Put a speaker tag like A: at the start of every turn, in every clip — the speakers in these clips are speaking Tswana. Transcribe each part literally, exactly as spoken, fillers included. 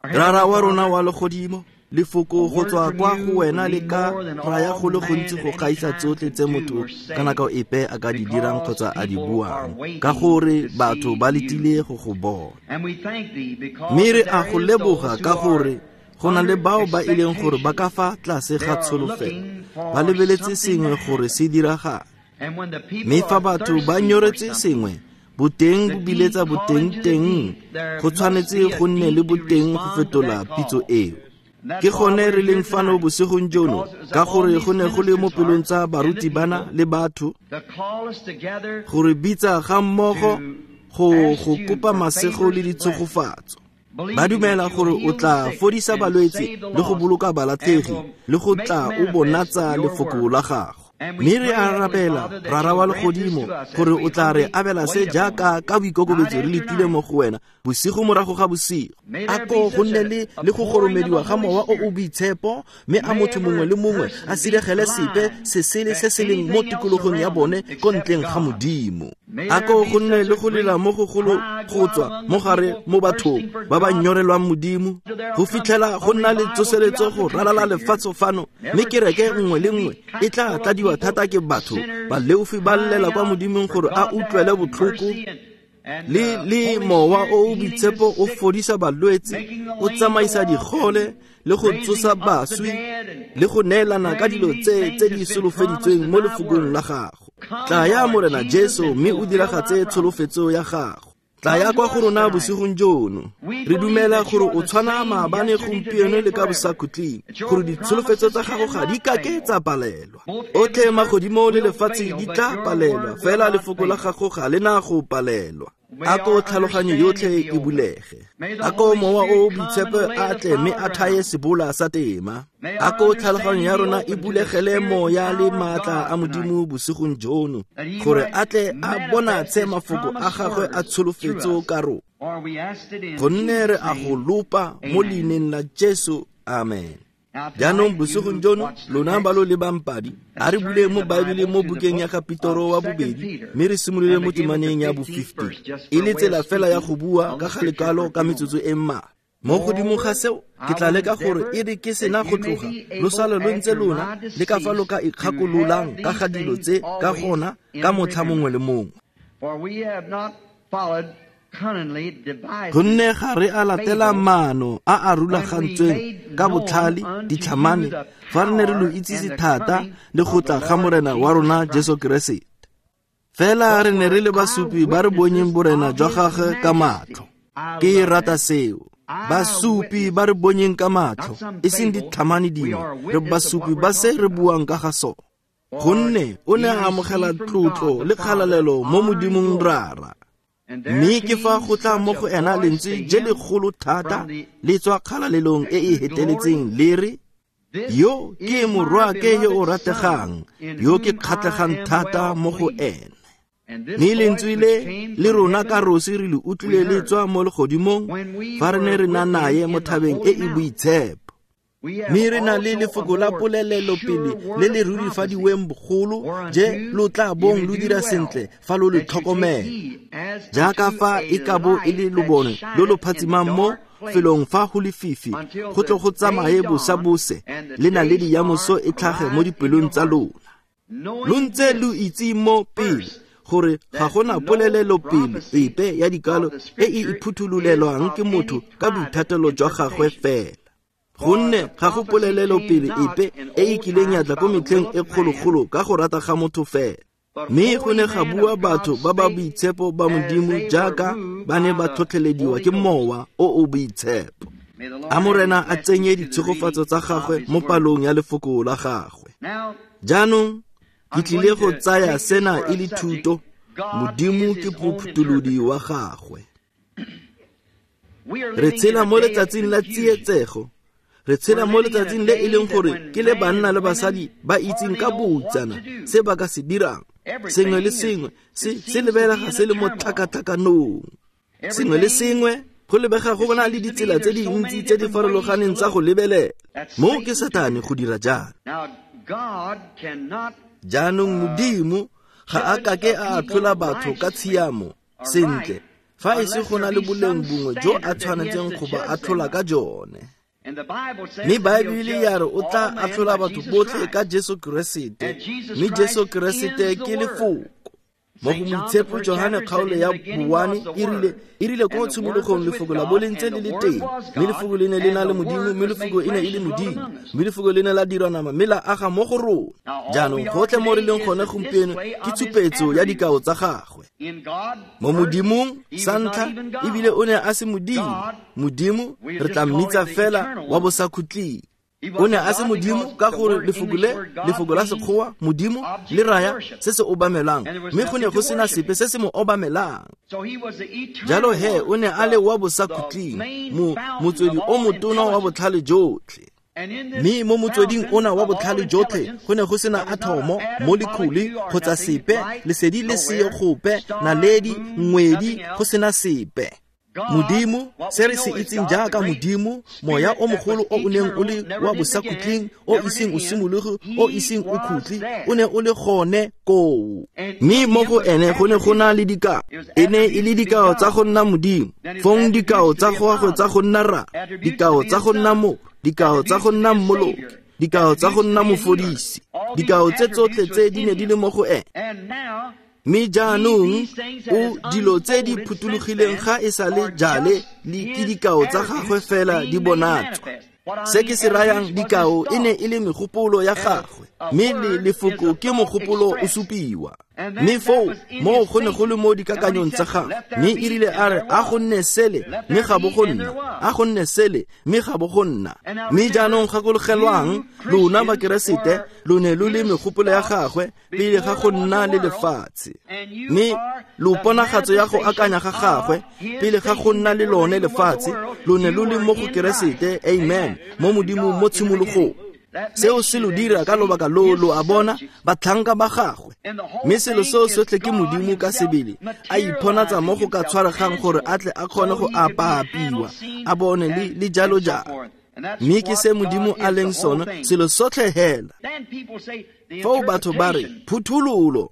A: Rara wa rona wa legodimo, lefoko go tswa kwa go wena le ka raya go le gontsi go gaisa tsotlhe tse motho ka nako epe a ka di dirang kgotsa a di buang, ka gore batho ba letile go go bona. Mme re a go leboga ka gore go na le bao ba e leng gore ba ka fa tlase ga tsholofelo, ba lebeletse sengwe gore se diragale. Mme fa batho ba nyoretse sengwe, boteng bo biletsa boteng teng, go tshwanetse go nne le boteng go fetola pitso eo. Ke gone re leng fano bosigong jono, ka gore go ne go le mo pelong tsa baruti bana le batho gore bitsa ga mmogo go go kopa masego le ditshegofatso. Ba dumela gore o tla fodisa balwetse le go boloka balatlhegi le go tla o bonatsa lefoko la gago. Mme re a rapela, Rara wa legodimo, gore o tla re abela se jaaka ka boikokobetso re letile mo go wena bosigo morago ga bosigo. A ko go nne le le go goromediwa ga mowa o o boitshepo, mme a motho mongwe le mongwe a siregele sepe se sele se se leng mo tikologong ya bone ko ntleng ga Modimo. A ko go nne le go lela mo gogolo go tswa mo gare mo bathong ba ba nyorelwang Modimo, go fitlhela go nna le tsoseletso go ralala lefatshe fano, mme kereke nngwe le nngwe e tla tladiwa thata ke batho baleofi ba llela kwa Modimong gore a utlwele botlhoko le le mowa o o boitshepo o fodisa balwetse, o tsamaisa digole le go tsosa baswi le go neelana ka dilo tse tse di solofeditsweng mo lefokong la gago. Tlaya Morena Jesu mme o diragatse tsholofetso ya gago. Tlaya kwa go rona bosigong jono. Re dumela gore o tshwana maabane, gompieno le ka bosakhutleng, gore ditsholofetso tsa gago ga di kake tsa palelwa. Otlhe magodimo le lefatshe di tla palelwa, fela lefoko la gago ga le na go palelwa. A ko tlhaloganyo yotlhe e bulege. A ko mowa o o boitshepo a tle mme a thaye sebola sa tema. A ko tlhaloganyo ya rona e bulegele moya le maatla a Modimo bosigong jono, gore a tle a bonatshe mafoko a gagwe a tsholofetso ka rona. Gonne re a go lopa mo leineng la Jesu, amen. Jaanong bosigong jono, lona ba lo lebang padi, a re buleng mo Baebeleng mo bukeng ya ga Petoro wa bobedi, mme re simolole mo temaneng ya bo fifty. E le tsela fela ya go bua ka ga lekwalo ka metsotso e mmalwa. Mo godimo ga seo, ke tla leka gore e re ke sena go tloga, lo sale lo ntse lona le ka fa lo ka ikgakololang ka ga dilo tse ka gona ka motlha mongwe le mongwe. Gonne ga re a latela maano a a rulagantsweng ka botlhale ditlhamane fa re ne re lo itsise thata le go tla ga Morena wa rona Jesu Keresete. Fela re ne re le basupi ba re bonyeng borena jwa gagwe ka matlho. Ke rata seo. Basupi ba re bonyeng ka matlho, e seng ditlhamane dingwe, re basupi ba se re buang ka ga sone. Gonne o ne a amogela tlotlo le kgalalelo mo Modimong Rara. Mme ke fa go tla mo go ena lentswe je legolo thata le tswa kgalalelong e e heteletseng le re, yo ke morwaake yo o rategang, yo ke kgatlhegang thata mo go ene. Mme lentswe le le rona ka rosi re le utlwile le tswa mo legodimong fa re ne re na naye mo thabeng e e boitshepo. Mme re na le lefoko la polelelopele le le rurifadiweng bogolo je lo tla bong lo dira sentle fa lo le tlhokomela, jaaka fa e ka bo e le lobone lo lo phatsimang mo felong fa go lefifi, go tle go tsamaye bosabose le naledi ya moso e tlhage mo dipelong tsa lona. Lo ntse lo itse mo pele gore ga gona polelelopele epe ya dikalo e e iphuthololelwang ke motho ka boithatelo jwa gagwe fela. Gonne ga go polelelopele epe e e kileng ya tla ko metlheng e kgologolo ka go rata ga motho fela. Mme go ne ga bua batho ba ba boitshepo ba Modimo jaaka ba ne ba tlhotlhelediwa ke mowa o o boitshepo. A Morena a tsenye ditshegofatso tsa gagwe mo palong ya lefoko la gagwe. Jaanong ke tlile go tsaya sena e le thuto, Modimo ke mophutholodi wa gagwe. Re tshela mo letsatsing la tsietsego. Re tshela mo letsatsing le e leng gore ke le banna le basadi ba itseng ka boutsana se ba ka se dirang. Sengwe le sengwe se se lebelega se le mo tlhakatlhakanong. Sengwe le sengwe go lebega go bona le ditsela tse dintsi tse di farologaneng tsa go lebelela. Mo ke Satane go dira jalo. Jaanong Modimo ga a kake a atlhola batho ka tshiamo sentle Fa e se go na le boleng bongwe jo a tshwanetseng go ba atlhola ka jone. Mme Baebele ya re o tla atlhola batho botlhe ka Jesu Keresete, mme Jesu Keresete ke lefoko. Mo go Moitshepo Johane kgaolo ya boane e rile e rile ko tshimologong lefoko la bo le ntse le le teng, mme lefoko le ne le na le Modimo, mme lefoko e ne e le Modimo, mme lefoko le ne la dirwa nama mme la aga mo go rona. Jaanong gotlhe mo re leng gone gompieno ke tshupetso ya dikao tsa gagwe. Mo Modimong sa ntlha ebile o ne a se Modimo, Modimo re tla mmitsa fela wa bosakhutleng. O ne a se Modimo ka gore lefoko le, lefoko la Sekgowa, Modimo, le raya se se obamelang, mme go ne go sena sepe se se mo obamelang. Jalo he o ne a le wa bosakhutleng, mo motswedi o motona wa botlhale jotlhe. Mme mo motsweding ona wa botlhale jotlhe go ne go sena athomo, molekhule kgotsa sepe, lesedi le seo gope, naledi, ngwedi, go sena sepe. Modimo, se re se itseng jaaka Modimo, moya o mogolo o o neng o le wa bosakhutleng, o iseng o simologe, o iseng o khutle, o ne o le gone koo. Mme mo go ene go ne go na le dikao, e ne e le dikao tsa go nna Modimo, fong dikao tsa gagwe tsa go nna Rra, dikao tsa go nna Morwa, dikao tsa go nna Mmoloki, dikao tsa go nna Mofodisi, dikao tse tsotlhe tse di ne di le mo go ene. Mme jaanong o dilo tse di phuthologileng ga e sa le jale le ke dikao tsa gagwe fela di bonatswa. Se ke se rayang dikao e ne e le megopolo ya gagwe, mme le lefoko ke mogopolo o supiwa. Mme foo moo go ne go le mo dikakanyong tsa gagwe, mme e rile a re a go nne sele mme ga bo go nna, a go nne sele mme ga bo go nna. Mme jaanong gakologelwang lona Bakeresete lo ne lo le megopolo ya gagwe pele ga go nna le lefatshe, mme lo ponagatso ya go akanya ga gagwe pele ga go nna le lone lefatshe, lo ne lo le mo go Keresete, amen, mo Modimong mo tshimologong. Seo se lo dira ka lobaka loo lo a bona batlhanka ba gagwe. Mme selo seo sotlhe ke Modimo ka sebele a iponatsa mo go ka tshwaregang gore a tle a kgone go apaapiwa, a bone le, le jalo jalo. Mme ke se Modimo a leng sone, selo sotlhe hela. Foo batho ba re phuthololo.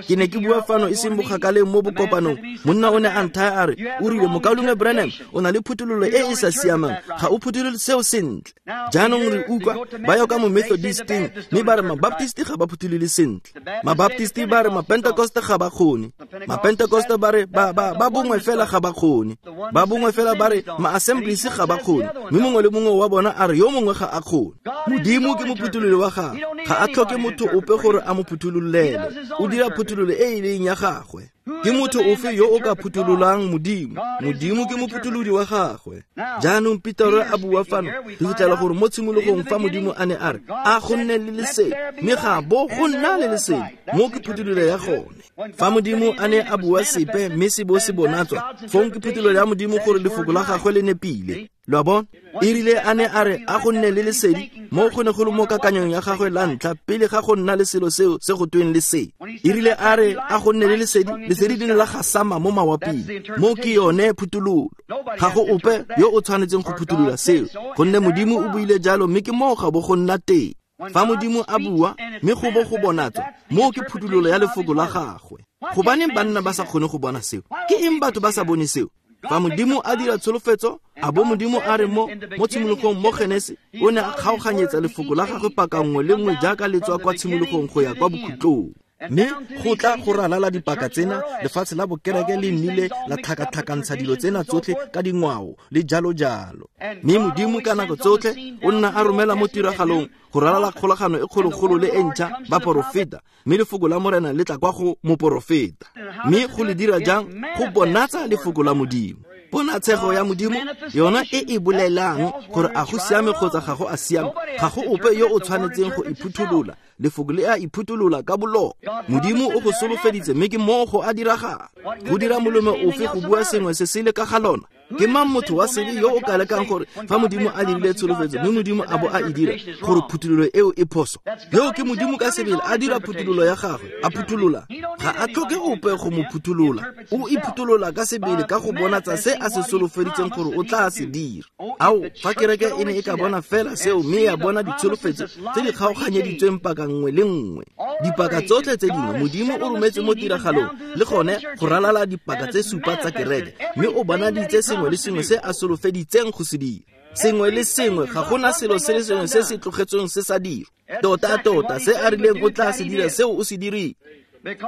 A: Ke ne ke bua fano e seng bokgakaleng mo bokopanong, monna o ne a nthaya a re, o rile Mokaulengwe Branham o na le phuthololo e e sa siamang, ga o phutholole seo sentle. Jaanong re utlwa ba ya ka mo Methodisteng, mme ba re Mabaptist ga ba phutholole sentle, Mabaptist ba re Mapentekoste ga ba kgone, Mapentekoste ba re ba ba ba bongwe fela ga ba kgone, ba bongwe fela ba re Ma-Assemblies ga ba kgone, mme mongwe le mongwe wa bona a re yo mongwe ga a kgone. Modimo ke mophuthololi wa gagwe, ga a tlhoke motho ope gore a mo phuthololele, o dira phuthololo e e leng ya gagwe. Ke motho ofe yo o ka phutololang Modimo? Modimo ke mophutholodi wa gagwe. Jaanong Petero a bua fano, re fitlhela gore mo tshimologong fa Modimo a ne a re a go nne le lesedi, mme ga bo go nna le lesedi, mo ke phuthololo ya gone. Fa Modimo a ne a bua sepe mme se bo se bonatswa, fong ke phuthololo ya Modimo gore lefoko la gagwe le nepile. Lo a bona? E rile a ne a re a go nne le lesedi, mo go ne go le mo kakanyong ya gagwe la ntlha pele ga go nna le selo seo se go tweng lesedi. E rile a re a go nne le lesedi, lesedi le ne la gasama mo mawaping. Mo ke yone phuthololo. Ga go ope yo o tshwanetseng go phuthulola seo, gonne Modimo o buile jalo mme ke moo ga bo go nna teng. Fa Modimo a bua mme go bo go bonatswa, moo ke phuthololo ya lefoko la gagwe. Gobaneng banna ba sa kgone go bona seo? Ke eng batho ba sa bone seo? Fa Modimo a dira tsholofetso, a bo Modimo a re mo mo tshimologong mo Genese, o ne a kgaoganyetsa lefoko la gagwe paka nngwe le nngwe jaaka le tswa kwa tshimologong go ya kwa bokhutlong. Mme go tla go ralala dipaka tsena, lefatshe la bokereke le nnile la tlhakatlhakantsha dilo tsena tsotlhe ka dingwao le jalo jalo. Mme Modimo ka nako tsotlhe o nna a romela mo tiragalong go ralala kgolagano e kgologolo le e ntšha baporofeta, mme lefoko la Morena le tla kwa go moporofeta. Mme go le dira jang? Go bonatsa lefoko la Modimo. Ponatshego ya Modimo yona e e bolelang gore a go siame kgotsa ga go a siame, ga go ope yo o tshwanetseng go iphutholola. Lefoko le a iphutholola ka bolona. Modimo o go solofeditse mme ke moo go a diragala. Go dira molemo ofe go bua sengwe se sele ka ga lona? Ke mang motho wa sebe yo o ka lekang gore fa Modimo a dirile tsholofetso mme Modimo a bo a e dira gore phuthololo eo e phoso? Yo ke Modimo ka sebele a dira phuthololo ya gagwe, a phuthulola. Ga a tlhoke ope go mo phuthulola. O iphuthulola ka sebele ka go bonatsa se a se solofeditseng gore o tla se dira. Ao, fa kereke e ne e ka bona fela seo mme ya bona ditsholofetso tse di kgaoganyeditsweng paka nngwe le nngwe. Dipaka tsotlhe tse dingwe Modimo o rometse mo tiragalong le gone go ralala dipaka tse supa tsa kereke, mme o bonaditse sengwe le sengwe se a solofeditseng go se dira. Sengwe le sengwe, ga gona selo se le sengwe se se tlogetsweng se sa dirwa. Tota-tota se a rileng o tla se dira seo o se dirile.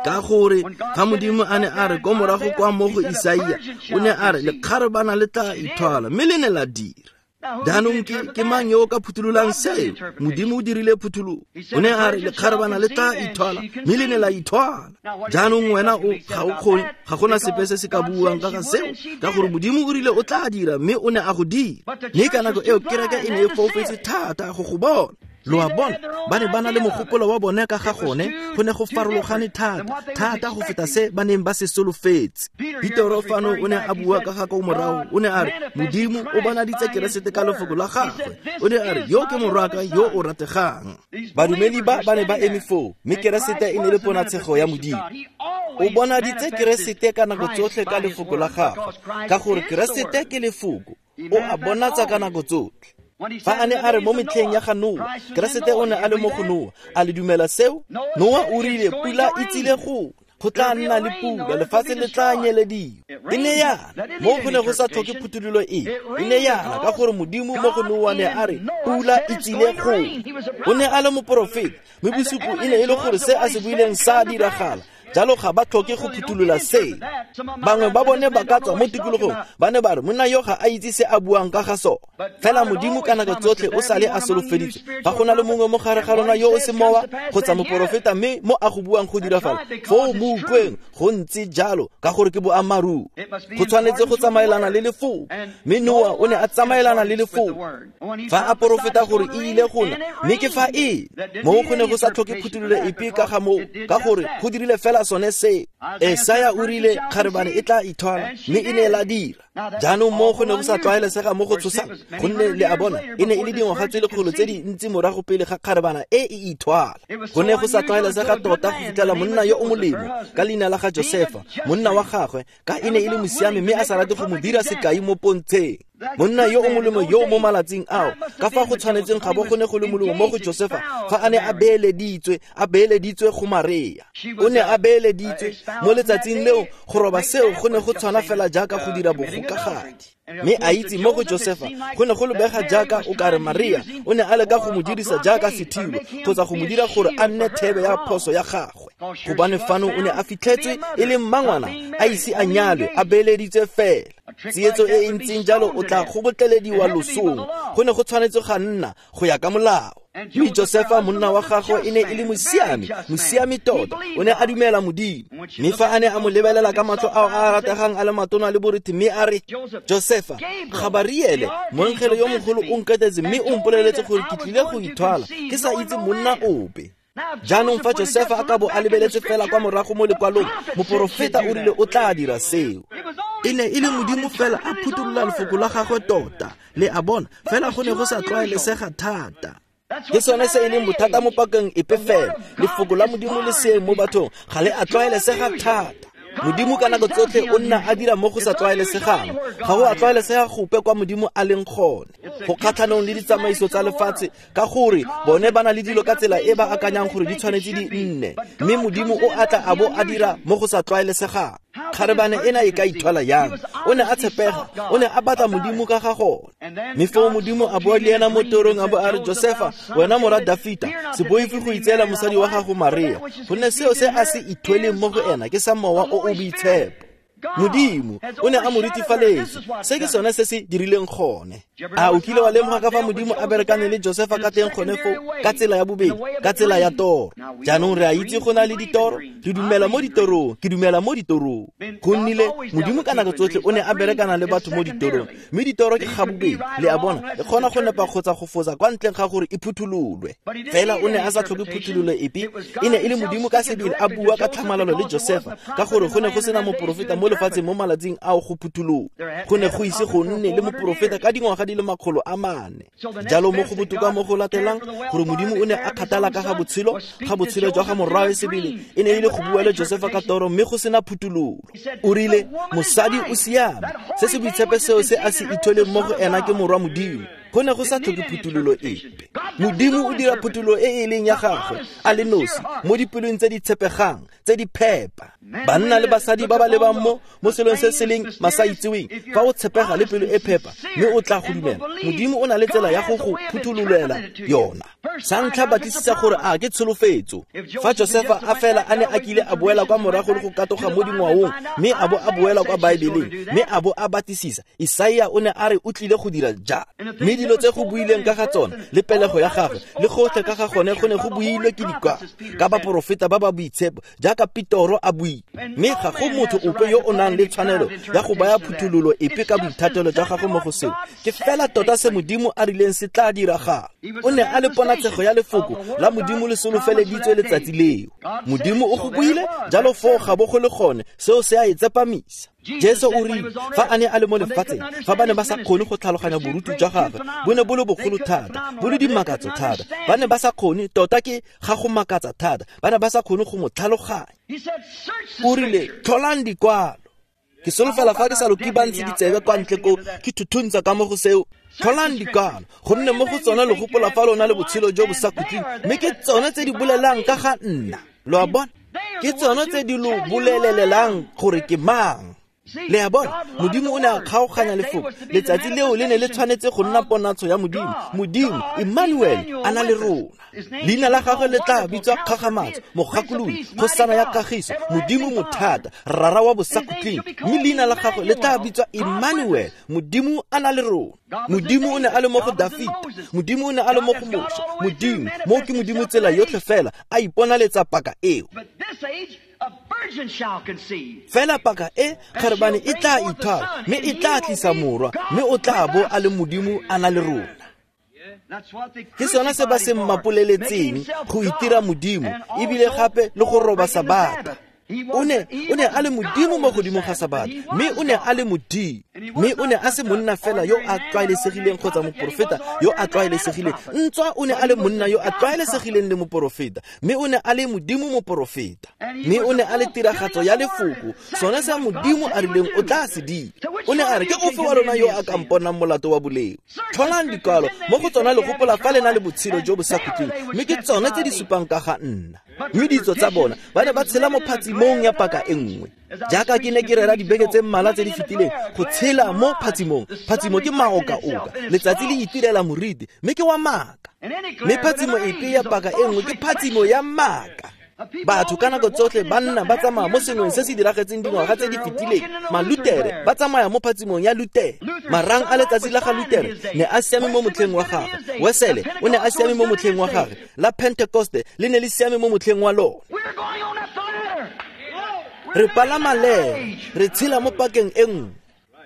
A: Ka gore ga Modimo a ne a re ko morago kwa mo go Isaia, o ne a re lekgarebana le tla ithwala, mme le ne la dira. Jaanong ke ke mang yo o ka phuthulolang seo? Modimo o dirile phuthololo. O ne a re lekgarebana le tla ithwala, mme le ne la ithwala. Jaanong wena o ga o kgone, ga gona sepe se se ka buang ka ga seo, ka gore Modimo o rile o tla dira, mme o ne a go dira. Mme ka nako eo kereke e ne e foufetse thata go go bona. Lo a bona, ba ne ba na le mogopolo wa bone ka ga gone, go ne go farologane thata, thata go feta se ba neng ba se solofetse. Petero fano o ne a bua ka ga ko morago, o ne a re Modimo o bonaditse Keresete ka lefoko la gagwe. O ne a re yo ke morwaka yo o rategang. Badumedi ba ba ne ba eme foo, mme Keresete e ne le ponatshego ya Modimo. O bonaditse Keresete ka nako tsotlhe ka lefoko la gagwe, ka gore Keresete ke lefoko, o a bonatsa ka nako tsotlhe. Fa a ne a re mo metlheng ya ga Noa, Keresete o ne a le mo go Noa. A le dumela seo? Noa o rile pula e tsile go go tla nna le pula, lefatshe le tla nyelediwa. E ne yana mo go ne go sa tlhoke phuthololo e. E ne yana ka gore Modimo mo go Noa ne a re pula e tsile go. O ne a le moporofeta, mme bosupo e ne e le gore se a se buileng sa diragala. Jalo ga ba tlhoke go phuthulola se. Bangwe ba bone ba ka tswa mo tikologong, ba ne ba re monna yo ga a itse se a buang ka ga sone. Fela Modimo ka nako tsotlhe o sale a solofeditse. Fa go na le mongwe mo gare ga lona yo o se mowa kgotsa moporofeta, mme mo a go buang go dirafala, foo mo utlweng go ntse jalo, ka gore ke boammaaruri. Go tshwanetse go tsamaelana le lefoko, mme Noa o ne a tsamaelana le lefoko. Fa a porofeta gore e ile go na, mme ke fa e mo go ne go sa tlhoke phuthololo epe ka ga moo, ka gore go dirile fela sone se. Esaya o rile kgarebane e tla ithwala, mme e ne la dira. Jaanong mo go ne go sa tlwaelesega mo go tshosang, gonne le a bona e ne e le dingwaga tse lekgolo tse dintsi morago pele ga kgarebana e e ithwala. Go ne go sa tlwaelesega tota go fitlhela monna yo o molemo ka leina la ga Josefa, monna wa gagwe, ka e ne e le mosiami mme a sa rate go mo dira sekai mo pontsheng. Monna yo o molemo yo mo malatsing ao, ka fa go tshwanetseng ga bo go ne go le molemo mo go Josefa fa a ne a beeleditswe, a beeleditswe go Maria. O ne a beeleditswe mo letsatsing leo, go roba seo go ne go tshwana fela jaaka go dira bogokagadi. Mme a itse mo go Josefa go ne go lebega jaaka o kare Maria o ne a leka go mo dirisa jaaka sethibo kgotsa go mo dira gore a nne thebe ya phoso ya gagwe. Gobane fano o ne a fitlhetswe e le mmangwana, a ise a nyalwe, a beeleditswe fela. Tsietso e e ntseng jalo o tla kgobotlelediwa losong. Go ne go tshwanetse ga nna go ya ka molao. Mme Josefa monna wa gagwe e ne e le mosiami, mosiami tota. O ne a dumela Modimo. Mme fa a ne a mo lebelela ka matlho ao a rategang a le matona le borethe, mme a re, Josefa, Gabariele, moengele yo mogolo o nketetse mme o mpoleletse gore ke tlile go ithwala, ke sa itse monna ope. Jaanong fa Josefa a ka bo a lebeletse fela kwa morago mo lekwalong, moporofeta o rile o tla dira seo. E ne e le Modimo fela a phuthulola lefoko la gagwe tota. Le a bona, fela go ne go sa tlwaelesega thata. Ke sone se e leng bothata mo pakeng epe fela. Lefoko la Modimo le seeng mo bathong ga le a tlwaelesega thata. Modimo ka nako tsotlhe o nna a dira mo go sa tlwaelesegang. Ga go a tlwaelesega gope kwa Modimo a leng gone. Go kgatlhanong le ditsamaiso tsa lefatshe, ka gore bone ba na le dilo ka tsela e ba akanyang gore di tshwanetse di nne, mme Modimo o atla a bo a dira mo go sa tlwaelesegang. Kgarebane ena e ka ithwala yang? O ne a tshepega, o ne a batla Modimo ka ga gone. Mme foo Modimo a bua le ena mo torong a bo a re, Josefa, wena morwa Dafita, se boife go itseela mosadi wa gago Maria, gonne seo se a se ithweleng mo go ena ke sa mowa o o boitshepo. Modimo o ne a mo ritifaletsa. Se ke sone se se dirileng gone. A o kile wa lemoga ka fa Modimo a berekane le Josefa ka teng gone foo, ka tsela ya bobedi, ka tsela ya toro. Jaanong re a itse go na le ditoro, re dumela mo ditorong, ke dumela mo ditorong. Go nnile Modimo ka nako tsotlhe o ne a berekana le batho mo ditorong, mme ditoro ke ga bobedi, le a bona, e kgona go nepa kgotsa go fosa kwa ntleng ga gore e phuthololwe. Fela o ne a sa tlhoke phuthololo epe, e ne e le Modimo ka sebele a bua ka tlhamalalo le Josefa, ka gore go ne go sena moporofeta mo lefatsheng mo malatsing ao go phuthologa. Go ne go ise go nne le moporofeta ka dingwaga di le makgolo a mane. Jalo mo go botoka mo go latelang gore Modimo o ne a kgathala ka ga botshelo ga botshelo jwa ga morwawe sebele e ne e le go bua le Josefa ka toro mme go sena phuthololo. O rile mosadi o siame, se se boitshepe seo se a se itholeng mo go ena ke morwa Modimo. Go ne go sa tlhoke phuthololo epe. Modimo o dira phuthololo e e leng ya gagwe a le nosi mo dipelong tse di tshepegang tse di phepa. Banna le basadi ba ba lebang mo mo selong se se leng masaitseweng, fa o tshepega le pelo e phepa mme o tla go dumela, Modimo o na le tsela ya go go phuthololela yona. Sa ntlha batlisisa gore a ke tsholofetso. Fa Josefa a fela a ne a kile a boela kwa morago le go katoga mo dingwaong mme a bo a boela kwa Baebeleng mme a bo a batlisisa, Isaia o ne a re o tlile go dira jang, mme dilo tse go buileng ka ga tsona le pelego ya gagwe le gotlhe ka ga gone go ne go builwe ke dikwalo ka baporofeta ba ba boitshepo jaaka Petoro a buile. Mme ga go motho ope yo o nang le tshwanelo ya go baya phuthololo epe ka boithatelo jwa gagwe mo go seo. Ke fela tota se Modimo a rileng se tla diragala. O ne a le ponatshego ya lefoko la Modimo le solofeleditswe letsatsi leo. Modimo o go buile jalo foo ga bo go le gone, seo se a e tsepamisa. Jesu o rile fa a ne a le mo lefatsheng, fa ba ne ba sa kgone go tlhaloganya boruti jwa gagwe, bo ne bo le bogolo thata, bo le dimakatso thata, ba ne ba sa kgone, tota ke ga go makatsa thata, ba ne ba sa kgone go mo tlhaloganya. O rile tlholang dikwalo. Ke solofela fa ke sa lo kibantse ditsebe kwa ntle ko ke thuthuntsa ka mo go seo. Tlholang dikwalo, gonne mo go tsona lo gopola fa lona le botshelo jo bo sa khutleng, mme ke tsone tse di bolelang ka ga nna. Lo a bona? Ke tsone tse di lo bolelelang gore ke mang. Le a bona, Modimo o ne a kgaoganya lefoko. Letsatsi leo le ne le tshwanetse go nna ponatsho ya Modimo. Modimo, Emmanuel, a na le rona. Leina la gagwe le tla bitswa Kgakgamatso, Mogakolodi, Kgosana ya Kagiso, Modimo Mothata, Rara wa Bosakhutleng. Mme leina la gagwe le tla bitswa Emmanuel, Modimo a na le rona. Modimo o ne a le mo go Dafita, Modimo o ne a le mo go Moshe. Modimo, mo ke Modimo tsela yotlhe fela, a iponaletsa paka eo. Fela paka e kgarebane e tla ithwala mme e tla tlisa morwa, mme o tla bo a le Modimo a na le rona. Ke sona se ba se mmapoleletseng go itira Modimo ebile gape le go roba Sabata. O ne o ne a le Modimo mo godimo ga Sabata, mme o ne a le Modimo, mme o ne a se monna fela yo a tlwaelesegileng kgotsa moporofeta yo a tlwaelesegileng. Ntswa o ne a le monna yo a tlwaelesegileng le moporofeta, mme o ne a le Modimo moporofeta, mme o ne a le tiragatso ya lefoko, sone sa Modimo a rileng o tla se dira. O ne a re ke ofe wa lona yo a ka mponang molato wa boleo? Tlholang dikwalo mo go tsona le gopola fa le na le botshelo jo bo sa khutleng, mme ke tsone tse di supang ka ga nna. Mme ditso tsa bona ba ne ba tshela mo phatsimong ya paka e nngwe. Jaaka ke ne ke rera dibeke tse mmalwa tse di fetileng, go tshela mo phatsimong. Phatsimo ke maokaoka, letsatsi le itirela moriti, mme ke wa maaka. Mme phatsimo epe ya paka e nngwe ke phatsimo ya maaka. Batho ka nako tsotlhe ba nna ba tsamaya mo sengweng se se diragetseng dingwaga tse di fetileng. Malutere ba tsamaya mo phatsimong ya Lutere. Marang a letsatsi la ga Lutere ne a siame mo motlheng wa gagwe. Wesele o ne a siame mo motlheng wa gagwe. La Pentecoste le ne le siame mo motlheng wa lona. Re palama lere, re tshela mo pakeng e nngwe.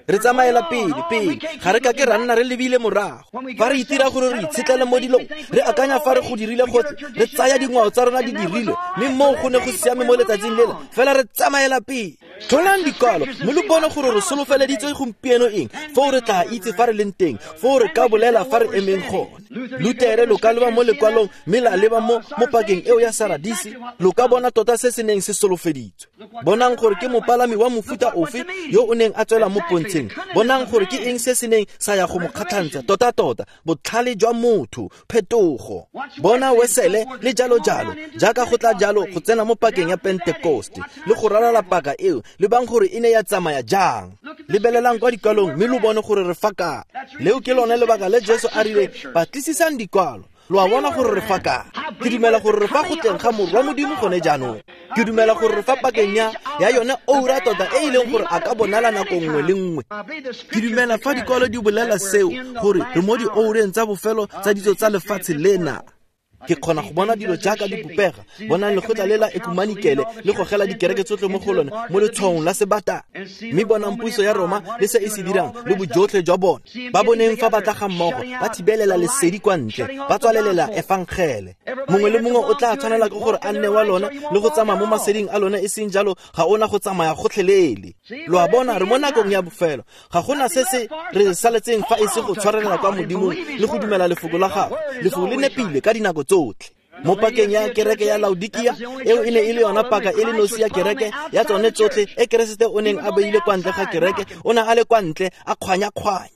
A: Re tsamaela pele pele, ga re ka ke ra nna re lebile morago. Fa re itira gore re itshetlele mo dilong, re akanya fa re go dirile gotlhe, re tsaya dingwao tsa rona di dirile, mme moo go ne go siame mo letsatsing lela, fela re tsamaela pele. Tlholang dikwalo, mme lo bone gore re solofeleditswe gompieno eng, foo re tla itse fa re leng teng, foo re ka bolela fa re emeng gone. Lutere lo ka leba mo lekwalong mme la leba mo mo pakeng eo ya Saradisi, lo ka bona tota se se neng se solofeditswe. Bonang gore ke mopalami wa mofuta ofe yo o neng a tswela mo pontsheng. Bonang gore ke eng se se neng sa ya go mo kgatlhantsha tota tota, botlhale jwa motho, phetogo. Bona Wesele le jalo jalo, jaaka go tla jalo go tsena mo pakeng ya Pentecoste le go ralala paka eo, lebang gore e ne ya tsamaya jang. Lebelelang kwa dikwalong mme lo bone gore re fa kae. Leo ke lone lebaka le Jesu a rileng batlisisang dikwalo, lo a bona gore re fa kae. Ke dumela gore re fa go tleng ga Morwa Modimo gone jaanong. Ke dumela gore re fa pakeng ya ya yone oura tota e e leng gore a ka bonala nako nngwe le nngwe. Ke dumela fa dikwalo di bolela seo, gore re mo dioureng tsa bofelo tsa ditso tsa lefatshe lena. Ke kgona go bona dilo jaaka di bopega, bonang lekgotla le la ekumanikele le gogela dikereke tsotlhe mo go lone mo letshwaong la sebata. Mme bonang puso ya Roma le se e se dirang le bojotlhe jwa bone. Ba boneng fa ba tla ga mmogo, ba thibelela lesedi kwa ntle, ba tswalelela efangele. Mongwe le mongwe o tla tshwanela ke gore a nne wa lona le go tsamaya mo maseding a lone, e seng jalo ga ona go tsamaya gotlhelele. Lo a bona, re mo nakong ya bofelo. Ga gona se se re saletseng fa e se go tshwarelela kwa Modimong le go dumela lefoko la gagwe. Lefoko le nepile ka dinako tsotlhe. Mo pakeng ya kereke ya Laodikia, eo e ne e le yona paka e le nosi ya kereke ya tsone tsotlhe e Keresete o neng a beile kwa ntle ga kereke, o ne a le kwa ntle a kgwanya-kgwanya.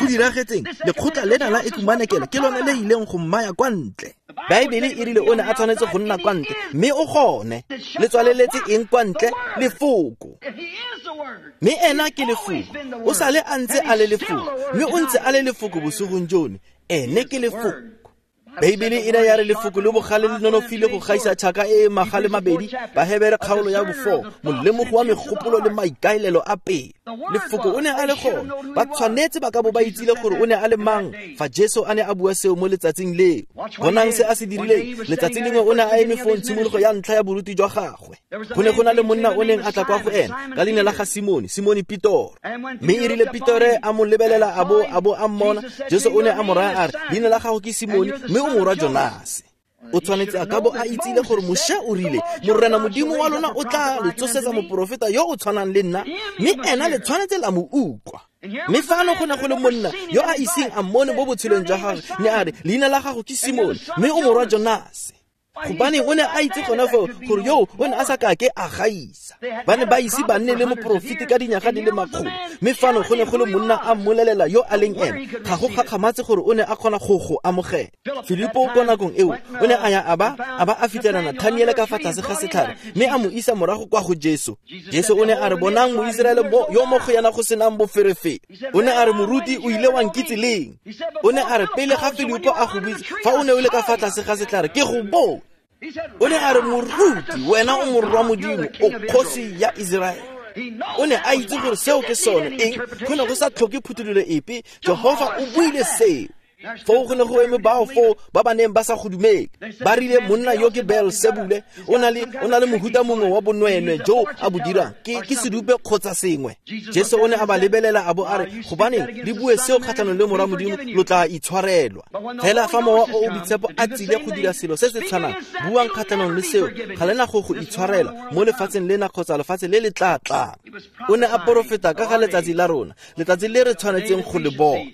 A: Go diragetseng, lekgotla lena la ekumanekele ke lone le ileng go mmaya kwa ntle. Baebele e rile o ne a tshwanetse go nna kwa ntle, mme o gone. Le tswaleletse eng kwa ntle? Lefoko. Mme ena ke lefoko. O sale a ntse a le lefoko, mme o ntse a le lefoko bosigong jono. Ene ke lefoko. Beibele e ne ya re lefoko le bogale le nonofile go gaisa tšhaka e e magale mabedi, Bahebere kgaolo ya bofo, molemogo wa megopolo le maikaelelo a pele. Lefoko o ne a le gone. Ba tshwanetse ba ka bo ba itsile gore o ne a le mang fa Jesu a ne a bua seo mo letsatsing leo. Bonang se a se dirileng. Letsatsi lengwe o ne a eme foo tshimologo ya ntlha ya boruti jwa gagwe. Go ne go na le monna o neng a tla kwa go ena ka leina la ga Simone, Simone Petoro. Mme e rile Petore a mo lebelela a bo a bo a mmona, Jesu o ne a mo raya a re, leina la gago ke Simone, mme o morwa Jonase. O tshwanetse a ka bo a itsile gore Moshe o rile, Morena Modimo wa lona o tla le tsosetsa moporofeta yo o tshwanang le nna, mme ena le tshwanetse la mo utlwa. Mme fano go ne go le monna yo a iseng a mmone mo botshelong jwa gagwe, ne a re, leina la gago ke Simone, mme o morwa Jonase. Gobane o ne a itse gona foo gore yo o ne a sa kake a gaisa. Ba ne ba ise ba nne le moporofeti ka dinyaga di le makgolo, mme fano go ne go le monna a mmolelela yo a leng ene. Ga go gakgamatse gore o ne a kgona go go amogela. Filipo ko nakong eo o ne a ya a ba a ba a fitlhela Nathaniele ka fa tlase ga setlhare, mme a mo isa morago kwa go Jesu. Jesu o ne a re, bonang Moiseraele yo mo go yena go senang boferefere. O ne a re, moruti o ile wa nkitse leng? O ne a re, pele ga Filipo a go bitsa, fa o ne o le ka fa tlase ga setlhare, ke go bone. O ne a re, moruti, wena o morwa Modimo, o kgosi ya Iseraele. O ne a itse gore seo ke sone. Eng? Go ne go sa tlhoke phuthololo epe. Jehofa o buile seo. Foo go ne go eme bao foo ba ba neng ba sa go dumele. Ba rile monna yo ke Beelsebule, o na le o na le mohuta mongwe wa bonweenwee jo a bo dirang, ke ke sedupe kgotsa sengwe. Jesu o ne a ba lebelela a bo a re, gobaneng le bue seo kgatlhanong le morwa Modimo, lo tla itshwarelwa. Fela fa Mowa o o Boitshepo a tsile go dira selo se se tshwanang, buang kgatlhanong le seo, ga lena go go itshwarela mo lefatsheng lena kgotsa lefatshe le le tla tlang. O ne a porofeta ka ga letsatsi la rona, letsatsi le re tshwanetseng go le bona.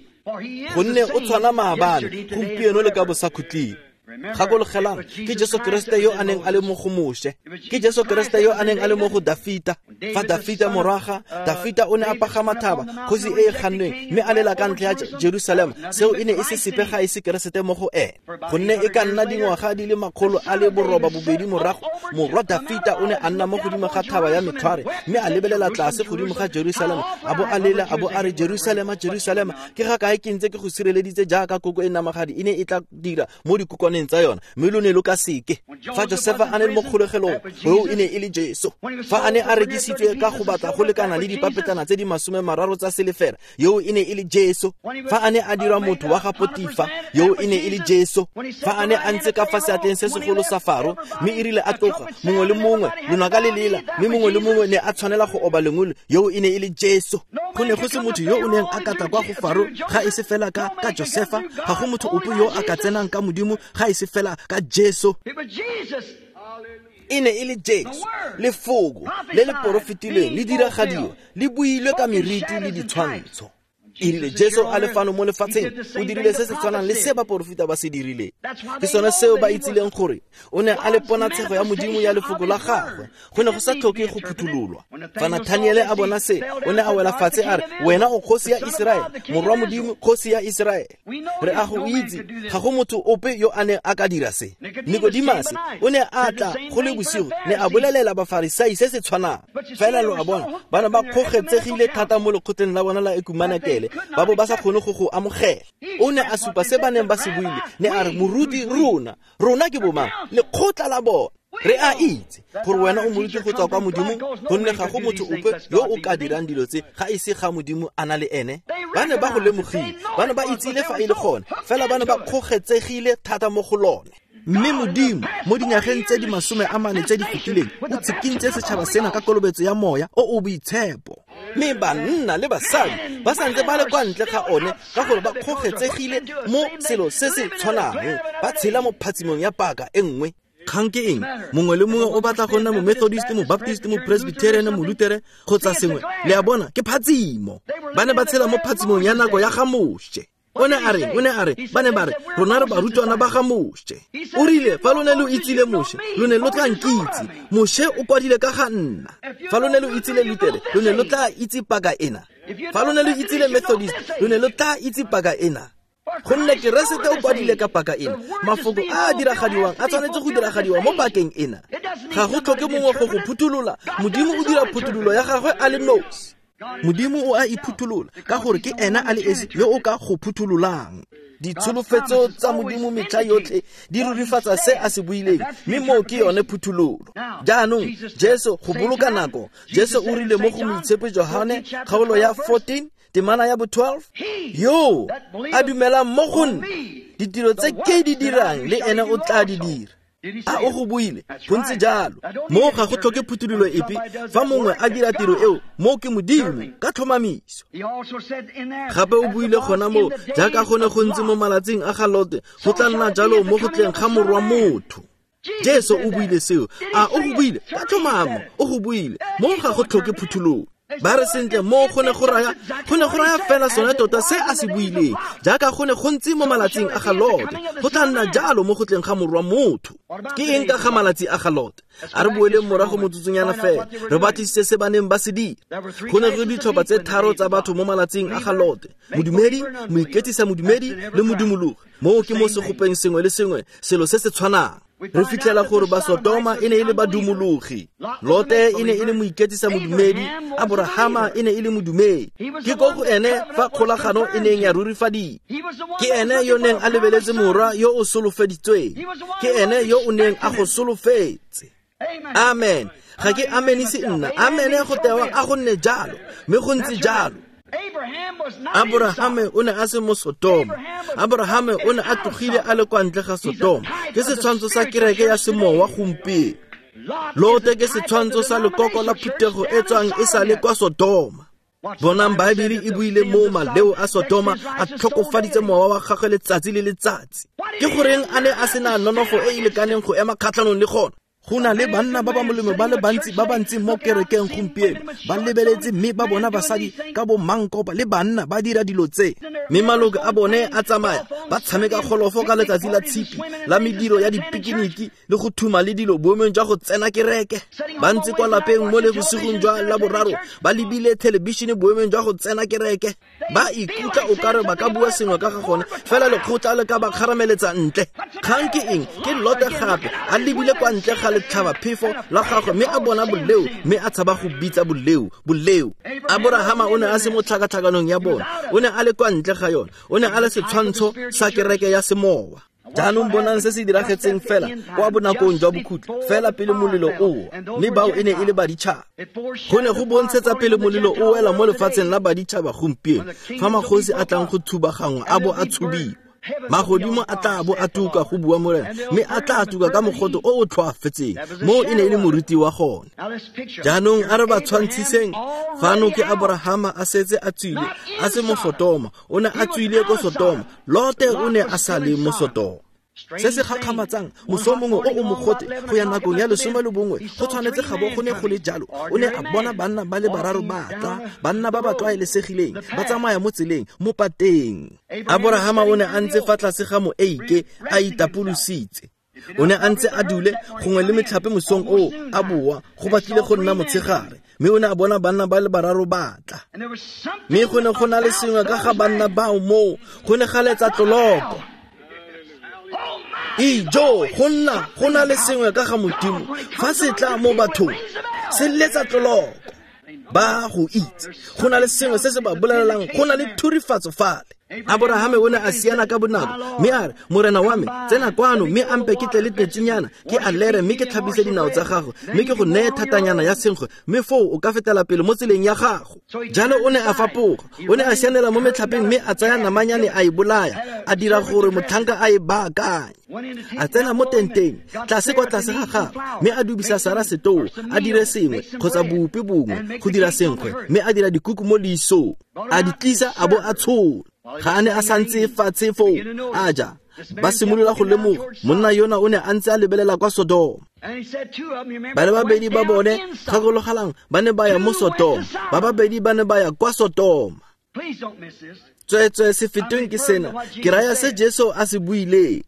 A: Gonne o tshwana maabane, gompieno le ka bosakhutleng. Gakologelang, ke Jesu Keresete yo a neng a le mo go Moshe, ke Jesu Keresete yo a neng a le mo go Dafita. Fa Dafita morwaga, Dafita o ne a pagama thaba, kgosi e e gannweng, mme a lela ka ntlha ya Jerusalema. Seo e ne e se sepe ga e se Keresete mo go ene. Gonne e ka nna dingwaga di le makgolo a le boroba bobedi morago, morwa Dafita o ne a nna mo godimo ga thaba ya metlhware, mme a lebelela tlase godimo ga Jerusalema, a bo a lela, a bo a re, Jerusalema, Jerusalema, ke ga kae ke ntse ke go sireleditse jaaka koko e namagadi e ne e tla dira mo dikokwaneng tsa yona, mme lo ne lo ka seke. Fa Josefa a ne le mo kgolegelong, eo e ne e le Jesu. Fa a ne a rekisitswe ka go batla go lekana le dipapetlana tse di masome mararo tsa selefera, eo e ne e le Jesu. Fa a ne a dirwa motho wa ga Potifa, eo e ne e le Jesu. Fa a ne a ntse ka fa seatleng se segolo sa Faro, mme e rile a tloga, mongwe le mongwe lonaka le lela, mme mongwe le mongwe ne a tshwanela go oba lengole, eo e ne e le Jesu. Go ne go se motho yo o neng a ka tla kwa go Faro ga e se fela ka ka Josefa. Ga go motho ope yo a ka tsenang ka Modimo ga e se fela ka Jesu. E ne e le Jesu, lefoko le le porofetilweng le diragadiwa, le builwe ka meriti le ditshwantsho. E rile Jesu a le fano mo lefatsheng, o dirile se se tshwanang le se baporofeta ba se dirileng. Ke sone seo ba itsileng gore o ne a le ponatshego ya Modimo ya lefoko la gagwe. Go ne go sa tlhoke go phuthololwa. Fa Nathaniele a bona se, o ne a wela fatshe a re, wena o kgosi ya Iseraele, morwa Modimo, kgosi ya Iseraele. Re a go itse, ga go motho ope yo a neng a ka dira se. Nikodimase o ne a tla go le bosigo, ne a bolelela Bafarisai se se tshwanang. Fela lo a bona, ba ne ba kgogetsegile thata mo lekgotleng la bona la ekumanekele, ba bo ba sa kgone go go amogela. O ne a supa se ba neng ba se buile, ne a re, moruti rona, rona ke bomang? Lekgotla la bona. Re a itse gore wena o moruti go tswa kwa Modimong, gonne ga go motho ope yo o ka dirang dilo tse ga e se ga Modimo a na le ene. Ba ne ba go lemogile, ba ne ba itsile fa e le gone, fela ba ne ba kgogetsegile thata mo go lone. Mme Modimo mo dingwageng tse di masome a mane tse di fetileng o tshikintse setšhaba sena ka kolobetso ya moya o o boitshepo. Mme banna le basadi ba santse ba le kwa ntle ga one ka gore ba kgogetsegile mo selo se se tshwanang, ba tshela mo phatsimong ya paka e nngwe. Kgang ke eng? Mongwe le mongwe o batla go nna mo Methodist, mo Baptist, mo Presbyterian, mo Lutere kgotsa sengwe. Le a bona, ke phatsimo. Ba ne ba tshela mo phatsimong ya nako ya ga Moshe. O ne a re, o ne a re, ba ne ba re, rona re barutwana ba ga Moshe. O rile, fa lo ne lo itsile Moshe, lo ne lo tla nkitse. Moshe o kwadile ka ga nna. Fa lo ne lo itsile Lutere, lo ne lo tla itse paka ena. Fa lo ne lo itsile Methodist, lo ne lo tla itse paka ena. Gonne Keresete o kwadile ka paka ena. Mafoko a a diragadiwang a tshwanetse go diragadiwa mo pakeng ena. Ga go tlhoke mongwe go go phuthulola. Modimo o dira phuthololo ya gagwe a le nosi. Modimo o a iphutholola ka gore ke ena a le esi yo o ka go phuthololang. Ditsholofetso tsa Modimo metlha yotlhe di rurifatsa se a se buileng, mme moo ke yone phuthololo. Jaanong Jesu, go boloka nako, Jesu o rile mo go Moitshepi Johane kgaolo ya fourteen temana ya bo twelve, yo a dumelang mo go nna, ditiro tse ke di dirang le ene o tla di dira. A o go buile? Go ntse jalo. Moo ga go tlhoke phuthololo epe. Fa mongwe a dira tiro eo, moo ke Modimo ka tlhomamiso. Gape o buile gona moo, jaaka go ne go ntse mo malatsing a ga Lote, go tla nna jalo mo go tleng ga Morwa Motho. Jesu o buile seo. A o go buile? Ka tlhomamo o go buile. Moo ga go tlhoke phuthololo. Ba re sentle, moo go ne go raya, go ne go raya fela sone tota se a se buileng. Jaaka go ne go ntse mo malatsing a ga Lote, go tla nna jalo mo go tleng ga Morwa Motho. Ke eng ka ga malatsi a ga Lote? A re boeleng morago motsotsonyana fela, re batlisise se ba neng ba se dira. Go ne go ditlhopha tse tharo tsa batho mo malatsing a ga Lote: modumedi, moiketsisa modumedi le modumologi. Moo ke mo segopeng sengwe le sengwe selo se se tshwanang. Re fitlhela gore ba Sodoma e ne e le badumologi, Lote e ne e le moiketsisa modumedi, Aborahama e ne e le modumedi. Ke ko go ene fa kgolagano e neng ya rurifadiwa. Ke ene yo neng a lebeletse morwa yo o solofeditsweng. Ke ene yo o neng a go solofetse. Amen. Ga ke amenise nna. Amene go tewa a go nne jalo, mme go ntse jalo. Aborahame o ne a se mo Sodoma. Aborahame o ne a tlogile a le kwa ntle ga Sodoma. Ke setshwantsho sa kereke ya semowa gompieno. Lote ke setshwantsho sa lekoko la phuthego e tswang e sa le kwa Sodoma. Bonang, Baebele e buile moo maleo a Sodoma a tlhokofaditse mowa wa gagwe letsatsi le letsatsi. Ke goreng a ne a sena nonofo e e lekaneng go ema kgatlhanong le gona? Go na le banna ba ba molemo ba le bantsi ba bantsi mo kerekeng gompieno, ba lebeletse mme ba bona basadi ka bo mankopa le banna ba dira dilo tse, mme maloko a bone a tsamaya ba tshameka golofo ka letsatsi la tshipi la mediro ya dipikiniki le go thuma le dilo boemong jwa go tsena kereke. Ba ntse kwa lapeng mo le bosigong jwa Laboraro ba lebile thelebišene boemong jwa go tsena kereke. Ba ikutlwa o kare ba ka bua sengwe ka ga gone, fela lekgotla le ka ba kgarameletsa ntle. Kgang ke eng? Ke Lote gape a lebile kwa ntle ga letlhabaphefo la gagwe mme a bona boleo, mme a tshaba go bitsa boleo boleo. Aborahama o ne a se mo tlhakatlhakanong ya bona, o ne a le kwa ntle ga yone, o ne a le setshwantsho sa kereke ya semowa. Jaanong bonang se se diragetseng fela kwa bonakong jwa bokhutlo, fela pele molelo o wa, mme bao e ne e le baditšhaba. Go ne go bontshetsa pele molelo o wela mo lefatsheng la baditšhaba gompieno, fa magosi a tlang go thubagangwa a bo a tshubiwa. Magodimo a tla bo a tuka, go bua Morena, mme a tla tuka ka mogote o o tlhoafetseng. Moo e ne e le moruti wa gone. Jaanong a re ba tshwantshiseng. Fano ke Aborahama a setse a tswile, a se mo Sodoma. O ne a tswile ko Sodoma. Lote o ne a sa le mo Sodoma. Se se gakgamatsang, moso mongwe o o mogote go ya nakong ya lesome le bongwe, go tshwanetse ga bo go ne go le jalo. O ne a bona banna ba le bararo ba tla, banna ba ba tlwaelesegileng, ba tsamaya mo tseleng, mo pateng. Aborahama o ne a ntse fa tlase ga moeike a itapolositse. O ne a ntse a dule gongwe le metlhape mosong oo, a boa go batlile go nna motshegare, mme o ne a bona banna ba le bararo ba tla. Mme go ne go na le sengwe ka ga banna bao moo, go ne ga letsa tloloko. Ijo, go nna go na le sengwe ka ga Modimo fa se tla mo bathong, se letsa tloloko. Ba go itse, go na le sengwe se se ba bolelelang, go na le thurifatso fale. Aborahame o ne a siana ka bonako mme a re, Morena wa me, tsena kwano mme a mpe ke tle le metsinyana, ke a lere mme ke tlhapise dinao tsa gago, mme ke go neye thatanyana ya senkgwe, mme foo o ka fetela pele mo tseleng ya gago. Jalo o ne a fapoga, o ne a sianela mo metlhapeng mme a tsaya namanyane a e bolaya, a dira gore motlhanka a e baakanye. A tsena mo tenteng, tlase kwa tlase ga gagwe, mme a dubisa Sara setoo, a dire sengwe kgotsa bopi bongwe go dira senkgwe, mme a dira dikuku mo leisong, a di tlisa a bo a tshola. Ga a ne a santse fatshe foo a ja, ba simolola go lemoga monna yona o ne a ntse a lebelela kwa Sodoma. Ba le babedi ba bone, gakologelang, ba ne ba ya mo Sodoma, ba babedi ba ne ba ya kwa Sodoma. Tsweetswee se fetweng ke sena, ke raya se Jesu a se buileng.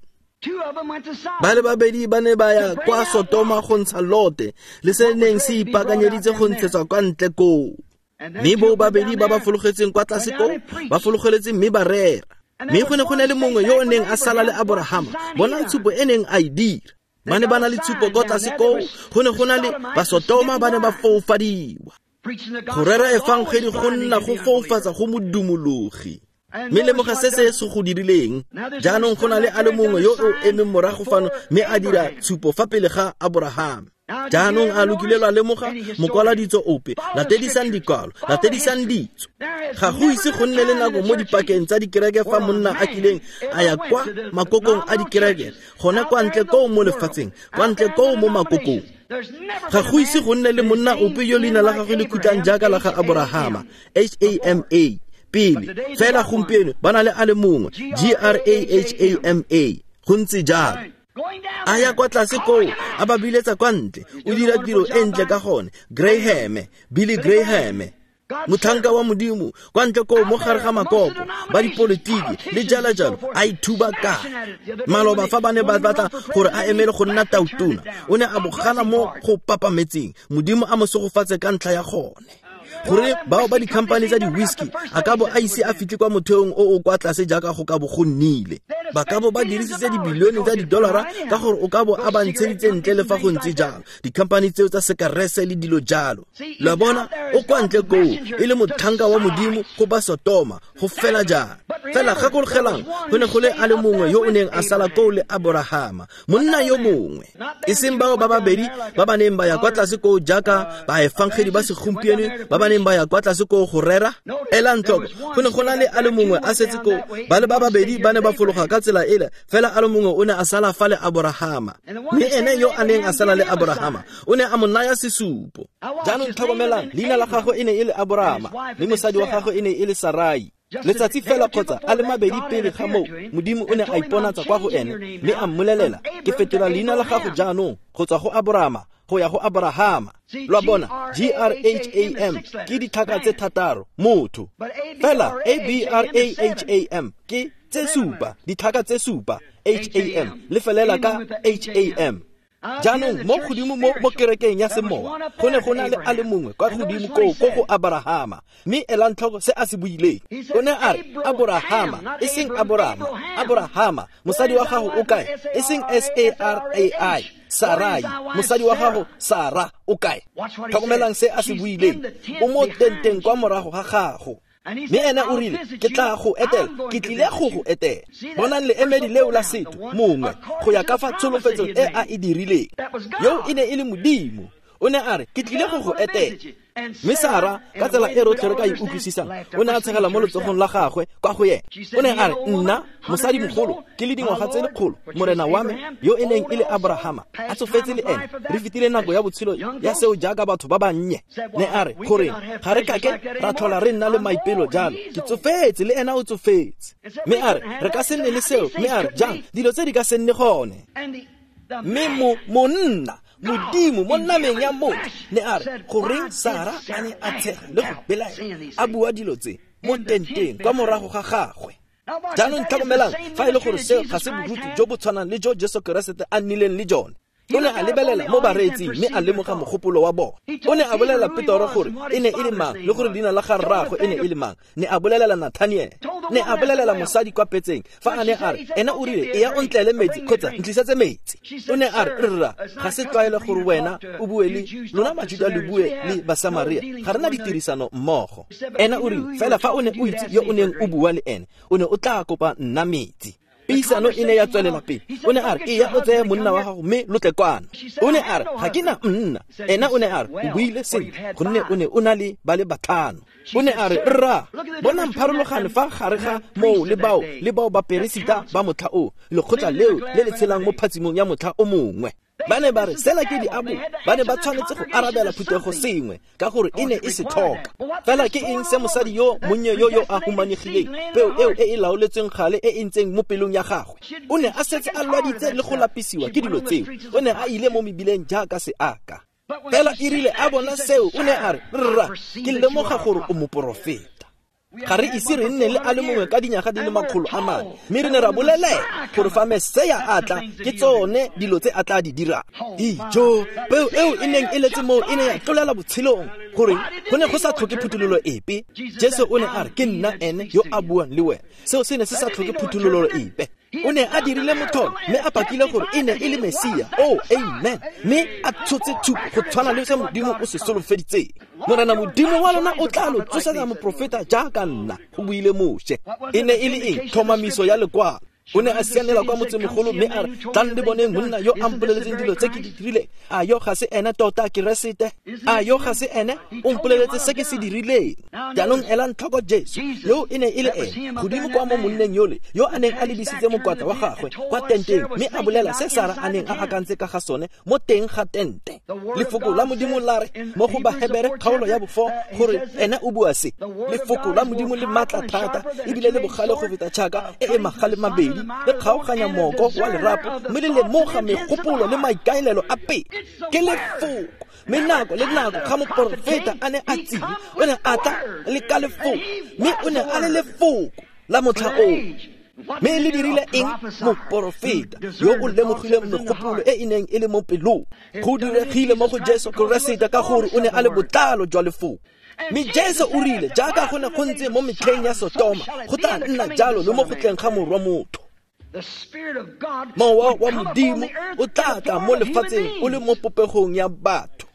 A: Ba le babedi ba ne ba ya kwa Sodoma go ntsha Lote, le se neng se ipaakanyeditse go ntshetswa kwa ntle koo. Mme bo babedi ba ba fologetseng kwa tlase koo, ba fologeletse mme ba rera. Mme go ne go na le mongwe yo o neng a sala le Aborahama, bona tshupo e neng a e dira. Ba ne ba na le tshupo kwa tlase koo, go ne go na le Basotoma ba ne ba foufadiwa. Go rera efangedi go nna go foufatsa go modumologi. Mme lemoga se se se go dirileng. Jaanong go na le a le mongwe yo o emeng morago fano mme a dira tshupo fa pele ga Aborahama. Jaanong a lokile lwa lemoga mokwaladitso ope, latedisang dikwalo, latedisang ditso. Ga go ise go nne le nako mo dipakeng tsa dikereke fa monna a kileng a ya kwa makokong a dikereke, gona kwa ntle koo mo lefatsheng, kwa ntle koo mo makokong. Ga go ise go nne le monna ope yo leina la gagwe le khutlang jaaka la ga Aborahama, H A M A, pele. Fela gompieno ba na le a le mongwe, G R A H A M A, go ntse jalo. A ya kwa tlase koo, a ba biletsa kwa ntle, o dira tiro e ntle ka gone. Graham, Billy Graham, motlhanka wa Modimo, kwa ntle koo mo gare ga makoko, ba dipolitiki le jalo jalo, a ithuba ka. Maloba fa ba ne ba batla gore a emele go nna tautona, o ne a bogana mo go papametseng, Modimo a mo segofatse ka ntlha ya gone. Gore bao ba di-company tsa di-whisky a ka bo a ise a fitlhe kwa motheong o o kwa tlase jaaka go ka bo go nnile. Ba ka bo ba dirisitse dibilione tsa di-dollara ka gore o ka bo a ba ntsheditse ntle le fa go ntse jalo, di-company tseo tsa sekarese le dilo jalo. Lo a bona, o kwa ntle koo e le motlhanka wa Modimo go ba Sotoma, go fela jang. Fela gakologelang, go ne go le a le mongwe yo o neng a sala koo le Aborahama, monna yo mongwe, e seng bao ba babedi ba ba neng ba ya kwa tlase koo jaaka baefangedi ba segompieno ba ba neng ba ya kwa tlase koo go rera. Elang tlhoko, go ne go na le a le mongwe a setse koo, ba le ba babedi ba ne ba fologa ka tsela ele, fela a le mongwe o ne a sala fa le Aborahama. Mme ene yo a neng a sala le Aborahama o ne a mo naya sesupo. Jaanong tlhokomelang, leina la gagwe e ne e le Aborahama, le mosadi wa gagwe e ne e le Sarai. Letsatsi fela kgotsa a le mabedi pele ga moo, Modimo o ne a iponatsa kwa go ene mme a mmolelela, ke fetola leina la gago jaanong go tswa go Aborahama go ya go Aborahama. Lo a bona, G R H A M ke ditlhaka tse thataro, motho. Fela A B R A H A M ke tse supa, ditlhaka tse supa, H A M, le felela ka H A M. Jaanong mo godimo mo mo kerekeng ya semowa, go ne go na le a le mongwe kwa godimo koo ko go Aborahama, mme elang tlhoko se a se buileng. O ne a re, Aborahama, e seng Aborahama, Aborahama, mosadi wa gago o kae? E seng S A R A I, Sarai, mosadi wa gago Sara o kae? Tlhokomelang se a se buileng. O mo tenteng kwa morago ga gago. Mme ene o rile, ke tla go etela, ke tlile go go etela. Bonang leemedi leo la setho, mongwe, go ya ka fa tsholofetsong e a e dirileng. Yo e ne e le Modimo. O ne a re, ke tlile go go etela. Mme Sara, ka tsela e rotlhe re ka e utlwisisang, o ne a tshegela mo letsogong la gagwe kwa go ene. O ne a re, nna, mosadimogolo, ke le dingwaga tse lekgolo, morena wa me, yo e neng e le Aborahama, a tsofetse le ene, re fetile nako ya botshelo ya seo jaaka batho ba bannye. Ne a re, goreng, ga re kake ra tlhola re nna le maipelo jalo, ke tsofetse le ena o tsofetse. Mme a re, re ka se nne le seo, mme a re, jang, dilo tse di ka se nne gone. Mme mo monna, Modimo mo nameng ya motho, ne a re, goreng Sara a ne a tshega le go belaela, a bua dilo tse mo tenteng kwa morago ga gagwe. Jaanong tlhokomelang, fa e le gore seo ga se boruti jo bo tshwanang le jo Jesu Keresete a nnileng le jone. O ne a lebelela mo bareetsing mme a lemoga mogopolo wa bona. O ne a bolelela Petoro gore e ne e le mang le gore leina la ga rraagwe e ne e le mang. Ne a bolelela Nathaniel. Ne a bolelela mosadi kwa petseng fa a ne a re ena o rile e ya o ntlele metsi kgotsa ntlisetse metsi. O ne a re rra ga se tlwaelo gore wena o bue le lona Majuda le bue le Basamaria, ga re na ditirisano mmogo. Ena o rile fela fa o ne o itse yo o neng o bua le ene o ne o tla kopa nna metsi. Puisano e ne ya tswelela pele. O ne a re e ya o tseye monna wa gago mme lo tle kwano. O ne a re ga ke na monna. Ena o ne a re o buile sentle gonne o ne o na le ba le batlhano. O ne a re rra bonang pharologano fa gare ga moo le bao le bao baperesita ba motlha o lekgotla leo le le tshelang mo phatsimong ya motlha o mongwe. Ba ne ba re sela ke diabo, ba ne ba tshwanetse go arabela phuthego sengwe ka gore e ne e se tlhoka. Fela ke eng se mosadi yo monnye yo yo a humanegileng, peo eo e e laoletsweng gale e e ntseng mo pelong ya gagwe? O ne a setse a lwaditse le go lapisiwa ke dilo tseo. O ne a ile mo mebileng jaaka seaka. Fela e rile a bona seo, o ne a re rra ke lemoga gore o moporofeta. Ga re ise re nne le a le mongwe ka dinyaga di le makgolo a mane, mme re ne ra bolelela gore fa Mesia a tla ke tsone dilo tse a tla di dirang. Ijo peo eo e neng e letse moo e ne ya tlolela botshelong gore go ne go sa tlhoke phuthololo epe. Jesu o ne a re ke nna ene yo a buang le wena. Seo se ne se sa tlhoke phuthololo epe. O ne a dirile motlholo mme a pakile gore e ne e le Mesia. Oh, amen. Mme a tshotse tshupo go tshwana le se Modimo o se solofeditseng. Morena Modimo wa lona o tla lo tsosetsa moprofeta jaaka nna, go buile Moshe. E ne e le eng? Tlhomamiso ya lekwalo. O ne a sianela kwa motsemogolo mme a re tlang le boneng monna yo a mpoleletseng dilo tse ke di dirileng. A yo ga se ene tota Keresete? A yo ga se ene o mpoleletse se ke se dirileng? Jaanong elang tlhoko Jesu yo e ne e le ene godimo kwa mo monneng yole yo a neng a lebisitse mokwatla wa gagwe kwa tenteng mme a bolela se Sara a neng a akantse ka ga sone mo teng ga tente. Lefoko la Modimo la re mo go Bahebere kgaolo ya bofo gore ene o bua se. Lefoko la Modimo le matla thata ebile le bogale go feta tšhaka e e magale mabedi, le kgaoganya moko wa lerapo mme le lemoga megopolo le maikaelelo a pele. Ke lefoko. Mme nako le nako ga moporofeta a ne a tsile, o ne a tla le ka lefoko, mme o ne a le lefoko la motlha oo. Mme le dirile eng? Moporofeta yo o lemogileng megopolo e e neng e le mo pelong. Go diregile mo go Jesu Keresete ka gore o ne a le botlalo jwa lefoko. Mme Jesu o rile jaaka go ne go ntse mo metlheng ya Sotoma, go tla nna jalo le mo go tleng ga Morwa Motho. Mowa wa Modimo o tla tla mo lefatsheng o le mo popegong ya batho.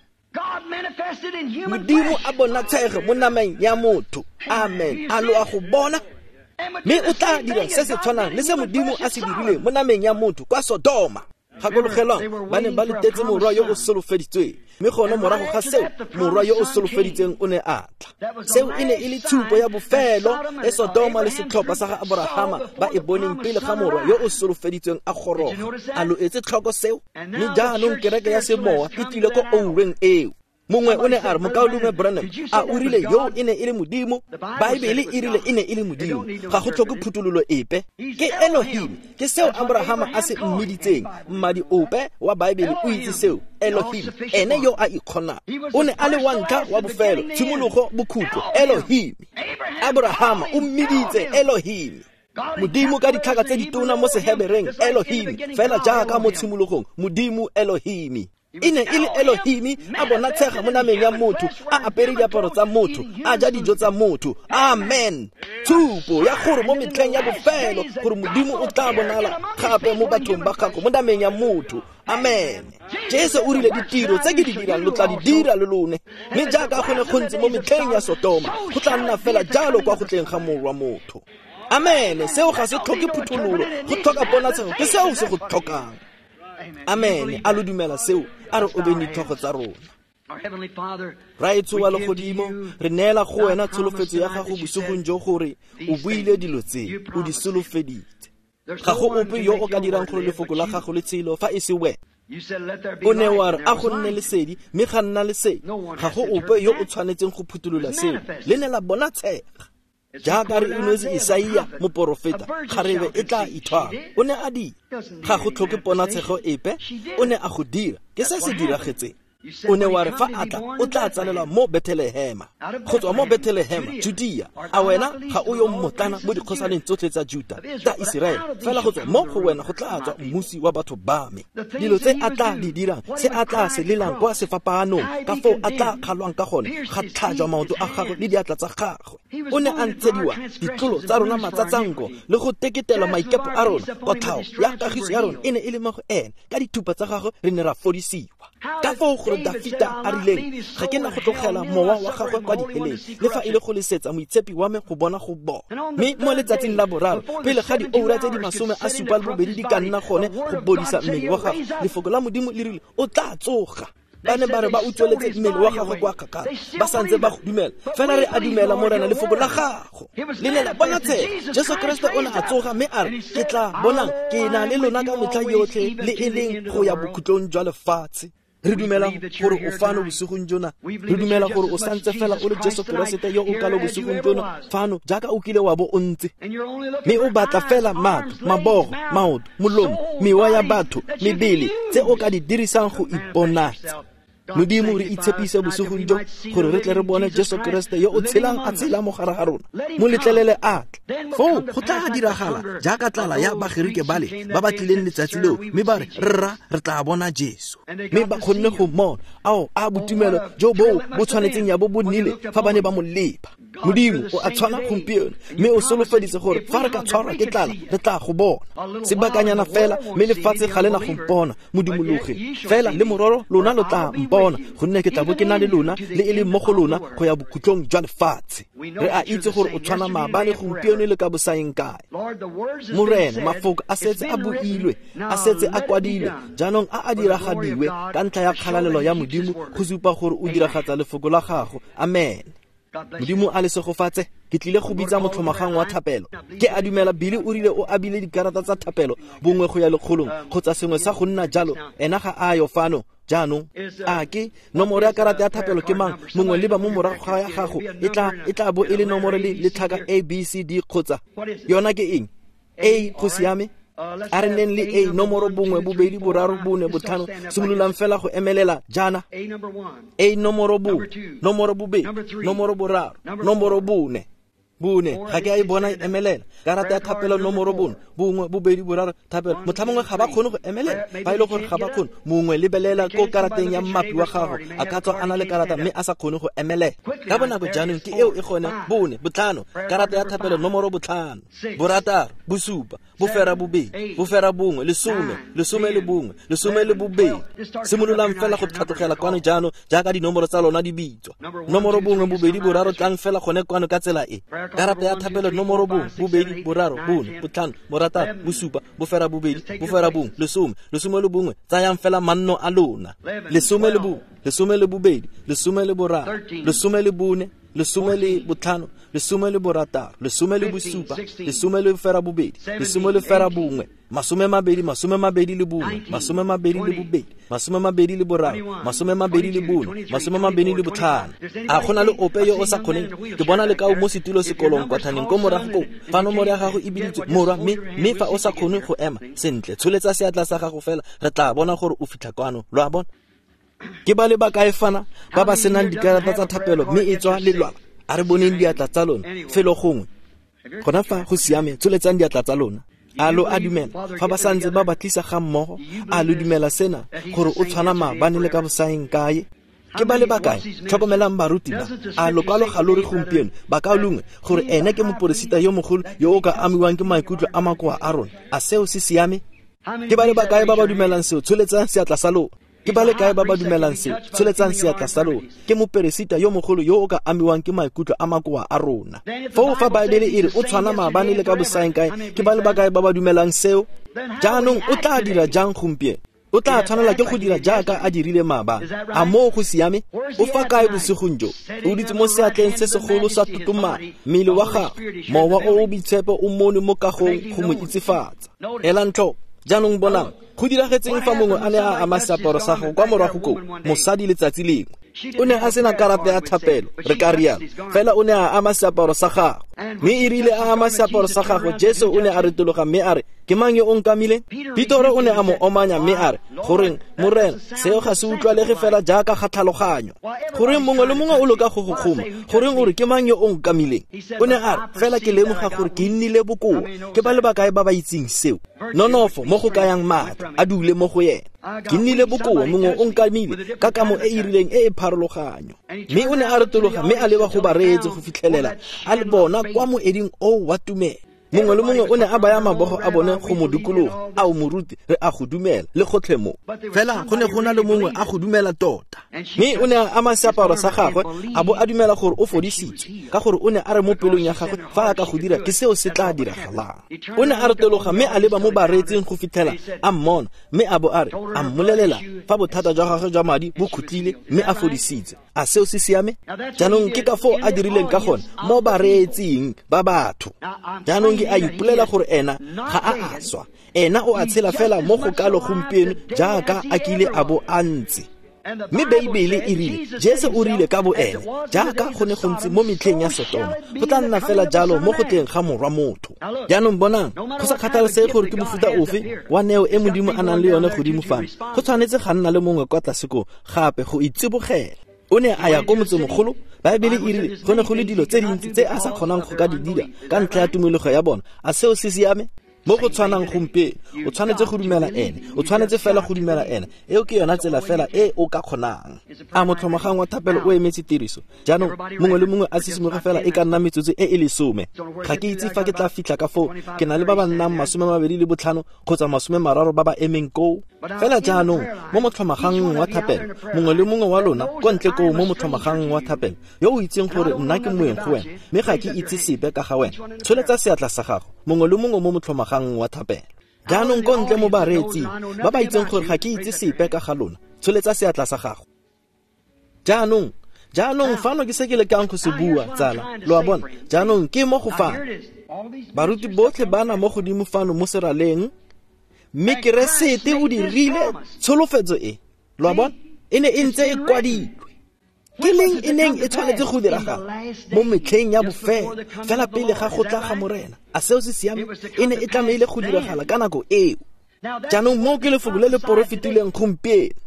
A: Modimo a bonatshege mo nameng ya motho. Amen. A lo a go bona? Mme o tla dira se se tshwanang le se Modimo a se dirileng mo nameng ya motho kwa Sodoma. Gakologelwang, ba ne ba letetse morwa yo o solofeditsweng, mme gone morago ga seo morwa yo o solofeditsweng o ne a tla. Seo e ne e le tshupo ya bofelo e Sodoma le setlhopha sa ga Aborahama ba e boneng pele ga morwa yo o solofeditsweng a goroga. A lo etse tlhoko seo? Mme jaanong kereke ya semowa e tlile ko oureng eo. Mongwe o ne a re mokaulengwe Branham a o rile yo e ne e le Modimo? Baebele e rile e ne e le Modimo. Ga go tlhoke phuthololo epe. Ke Elohim. Ke seo Abrahama a se mmiditseng. Mmadi ope wa Baebele o itse seo. Elohim, ene yo a ikgonang. O ne a le wa ntlha wa bofelo, tshimologo, bokhutlo. Elohim. Abrahama o mmiditse Elohim. Modimo ka ditlhaka tse ditona mo Sehebereng, Elohim, fela jaaka mo tshimologong, Modimo Elohim. E ne e le Elohim a bonatshega mo nameng ya motho, a apere diaparo tsa motho, a ja dijo tsa motho. Amen. Tshupo ya gore mo metlheng ya bofelo gore Modimo o tla bonala gape mo bathong ba gago mo nameng ya motho. Amen. Jesu o rile ditiro tse ke di dirang lo tla di dira le lone. Mme jaaka go ne go ntse mo metlheng ya Sotoma, go tla nna fela jalo kwa go tleng ga Morwa Motho. Amen. Seo ga se tlhoke phuthololo, go tlhoka ponatshego, ke seo se go tlhokang. Amen. A lo dumela seo? A re obeng ditlhogo tsa rona. Raetsho wa legodimo, re neela go wena tsholofetso ya gago bosigong jo gore o buile dilo tse, o di solofeditse. Ga go ope yo o ka dirang gore lefoko la gago le tshelo fa e se wena. O ne wa re a go nne lesedi, mme ga nna lesedi. Ga go ope yo o tshwanetseng go phuthulola seo. Le ne la bonatshega. Jaaka re inwetse Isaia moporofeta, kgarebe e tla ithwala. O ne a dira. Ga go tlhoke ponatshego epe, o ne a go dira. Ke se se diragetseng. O ne wa re fa a tla o tla tsalelwa mo Bethlehema, go tswa mo Bethlehema Judea. A wena ga o yo mmotlana mo dikgosaneng tsotlhe tsa Juta tsa Iseraele, fela go tswa mo go wena go tla tswa mmusi wa batho ba me. Dilo tse a tla di dirang, se a tla se lelang kwa sefapaanong, ka foo a tla kgalwang ka gone, ga tlhajwa maoto a gagwe le diatla tsa gagwe. O ne a ntshediwa ditlolo tsa rona matsatsanko le go teketela maikepo a rona. Kotlhao ya kagiso ya rona e ne e le mo go ene, ka dithupa tsa gagwe re ne ra fodisiwa. Ka foo gore Dafita a rileng, ga ke na go tlogela mowa wa gagwe kwa diheleng, le fa e le go lesetsa moitshepi wa me go bona go bona. Mme mo letsatsing la boraro, pele ga dioura tse di masome a supa le bobedi di ka nna gone go bodisa mmele wa gagwe, lefoko la Modimo le rile o tla tsoga. Ba ne ba re ba utsweletse mmele wa gagwe kwa kgakala, ba santse ba go dumela. Fela re a dumela, Morena, lefoko la gago le ne la bonatshega. Jesu Kriste o ne a tsoga mme a re, ke tla bonang ke na le lona ka metlha yotlhe, le e leng go ya bokhutlong jwa lefatshe. Re dumela gore o fano bosigong jona. Re dumela gore o santse fela o le Jesu Keresete yo o kalo bosigong jona fano, jaaka o kile wa bo o ntse. Mme o batla fela matlo, mabogo, maoto, molomo, mewa ya batho, mebele tse o ka di dirisang go iponatsa. Modimo, re itshepise bosigong jo gore re tle re bone Jesu Kriste yo o tshelang a tshela mo gare ga rona. Mo letlelele a tle. Foo go tla diragala jaaka tlala ya Bagerike bale ba ba tlileng letsatsi leo, mme ba re, rra, re tla bona Jesu. Mme ba kgonne go mmona. Ao, a botumelo jo boo bo tshwanetseng ya bo bo nnile fa ba ne ba mo lepa. Modimo o a tshwana gompieno, mme o solofeditse gore fa re ka tshwarwa ke tlala re tla go bona. Sebakanyana fela, mme lefatshe ga le na go mpona, modumologe. Fela le mororo lona lo tla mpona, gonne ke tla bo ke na le lona, le e leng mo go lona go ya bokhutlong jwa lefatshe. Re a itse gore o tshwana maabane, gompieno le ka bosaeng kae. Morena, mafoko a setse a builwe, a setse a kwadilwe, jaanong a a diragadiwe ka ntlha ya kgalalelo ya Modimo, go supa gore o diragatsa lefoko la gago. Amen. Modimo a le segofatse. Ke tlile go bitsa motlhomagang wa thapelo. Ke a dumela Billy o rile o abile dikarata tsa thapelo bongwe go ya lekgolong kgotsa sengwe sa go nna jalo. Ena ga a yo fano jaanong. A ke nomoro ya karata ya thapelo ke mang? Mongwe le ba mo morago ga ya gago e tla e tla bo e le nomoro le letlhaka A B C D kgotsa yona ke eng? A go siame. A re neng le A nomoro bongwe bobedi boraro bone botlhano, simololang fela go emelela jaana. A nomoro bongwe, nomoro bobedi, nomoro boraro, nomoro bone. Bone, ga ke a e bona e emelela. Karata ya thapelo nomoro bone, bongwe, bobedi, boraro, thapelo. Motlha mongwe ga ba kgone go emelela, fa e le gore ga ba kgone. Mongwe lebelela ko karateng ya mmapi wa gago, a ka tswa a na le karata mme a sa kgone go emelela. Ka bonako jaanong ke eo e gone, bone, botlhano, karata ya thapelo nomoro botlhano, borataro, bosupa, bofera bobedi, bofera bongwe, lesome, lesome le bongwe, lesome le bobedi. Simololang fela go tlhatlogela kwano jaanong jaaka dinomoro tsa lona di bitswa. Nomoro bongwe, bobedi, boraro, tlang fela gone kwano ka tsela e. Karata ya thapelo nomoro bongwe, bobedi, boraro, bone, botlhano, borataro, bosupa, bofera bobedi, bofera bongwe, lesome, lesome le bongwe. Tsayang fela manno a lona. Lesome le bongwe, lesome le bobedi, lesome le boraro, lesome le bone, lesome le botlhano, lesome le borataro, lesome le bosupa, lesome le bofera bobedi, lesome le fera bongwe, masome mabedi, masome mabedi le bongwe, masome mabedi le bobedi, masome mabedi le boraro, masome mabedi le bone, masome mabedi le botlhano. A gona le ope yo o sa kgoneng? Ke bona le kao mo setulo sekolong kwa thaneng ko morago koo. Fa nomoro ya gago e biditswe, morwa, mme mme fa o sa kgone go ema sentle, tsholetsa seatla sa gago fela, re tla bona gore o fitlha kwano. Lo a bona? Ke ba le ba kae fana ba ba senang dikarata tsa thapelo mme e tswa lelwala? A re boneng diatla tsa lona felo gongwe. Gona fa go siame, tsholetsang diatla tsa lona. A lo a dumela fa ba santse ba ba tlisa ga mmogo? A lo dumela sena gore o tshwana maabane le ka bosaeng kae? Ke ba le ba kae? Tlhokomelang baruti ba. A lokwalo ga lo re gompieno ba ka longwe gore ene ke moporesita yo mogolo yo o ka amiwang ke maikutlo a makoa a rona? A seo se siame? Ke ba le ba kae ba ba dumelang seo? Tsholetsang seatla sa lona. Ke ba le kae ba ba dumelang seo? Tsholetsang seatla sa lona. Ke moperesita yo mogolo yo o ka amiwang ke maikutlo a makoa a rona. Foo fa Baebele e re o tshwana maabane le ka bosaeng kae, ke ba le ba kae ba ba dumelang seo? Jaanong o tla dira jang gompieno? O tla tshwanela ke go dira jaaka a dirile maabane. A moo go siame? O fa kae bosigong jo? O dutse mo seatleng se segolo sa totomana, mmele wa gagwe, mowa o o boitshepo o mone mo kagong go mo itsefatsa. Elang tlhoko. Jaanong bonang, go diragetseng fa mongwe a ne a ama seaparo sa gago kwa morago koo, mosadi letsatsi lengwe. O ne a sena karata ya thapelo, re ka rialo, fela o ne a ama seaparo sa gagwe. Mme e rile a ama seaparo sa gagwe, Jesu o ne a retologa mme a re, ke mang yo o nkamileng? Petoro o ne a mo omanya mme a re, goreng, Morena, seo ga se utlwalege fela jaaka ga tlhaloganyo. Goreng mongwe le mongwe o loka go go kgoma? Goreng o re ke mang yo o nkamileng? O ne a re, fela ke lemoga gore ke nnile bokoa. Ke ba le bakae ba ba itseng seo? Nonofo mo go kayang maatla a dule mo go yena. Ke nnile bokoa, mongwe o nkamile ka kamo e e rileng e e pharologanyo. Mme o ne a retologa mme a leba go bareetsi go fitlhelela a le bona kwa moeding oo wa tumelo. Mongwe le mongwe o ne a baya mabogo a bone go mo dikologa. A o moruti, re a go dumela le gotlhe mo. Fela go ne go na le mongwe a go dumela tota. Mme o ne a ama seaparo sa gagwe a bo a dumela gore o fodisitswe, ka gore o ne a re mo pelong ya gagwe, fa a ka go dira ke seo se tla diragalang. O ne a retologa mme a leba mo bareetsing go fitlhela a mmona, mme a bo a re, a mmolelela fa bothata jwa gagwe jwa madi bo khutlile mme a fodisitse. A seo se siame? Jaanong ke ka foo a dirileng ka gone mo bareetsing ba batho. Jaanong ke a ipolela gore ena ga a a swa, ena o a tshela fela mo go kalo gompieno jaaka a kile a bo a ntse. Mme Beibele e rile, Jesu o rile ka bo ene, jaaka go ne go ntse mo metlheng ya Sotoma, go tla nna fela jalo mo go tleng ga morwa motho. Jaanong bonang, go sa kgathalesege gore ke mofuta ofe wa neo e Modimo a nang le yone godimo fano, go tshwanetse ga nna le mongwe kwa tlase koo gape go itsibogela. O ne a ya ko motsemogolo. Baebele e rile go ne go le dilo tse dintsi tse a sa kgonang go ka di dira ka ntlha ya tumologo ya bona. A seo se siame? Mo go tshwanang gompieno, o tshwanetse go dumela ene, o tshwanetse fela go dumela ene. Eo ke yona tsela fela e o ka kgonang. A motlhomagang wa thapelo o emetse tiriso. Jaanong mongwe le mongwe a sisimoge fela e ka nna metsotso e e lesome. Ga ke itse fa ke tla fitlha ka foo, ke na le ba ba nnang masome mabedi le botlhano kgotsa masome mararo ba ba emeng koo. Fela jaanong mo motlhomagang wa thapelo, mongwe le mongwe wa lona ko ntle koo mo motlhomagang wa thapelo, yo o itseng gore nna ke moeng go wena mme ga ke itse sepe ka ga wena, tsholetsa seatla sa gago. Mongwe le mongwe mo motlhomagang wa thapelo. Jaanong ko ntle mo bareetsing ba ba itseng gore ga ke itse sepe ka ga lona, tsholetsa seatla sa gago. Jaanong, jaanong fano ke se ke lekang go se bua, tsala. Lo a bona? Jaanong ke mo go fano. Baruti botlhe ba na mo godimo fano mo seraleng, mme Keresete o dirile tsholofetso e. Lo a bona? E ne e ntse e kwadilwe. Ke leng e neng e tshwanetse go diragala mo metlheng ya bofelo, fela pele ga go tla ga Morena. A seo se siame? E ne e tlamehile go diragala ka nako eo. Jaanong moo ke lefoko le le porofetileng gompieno,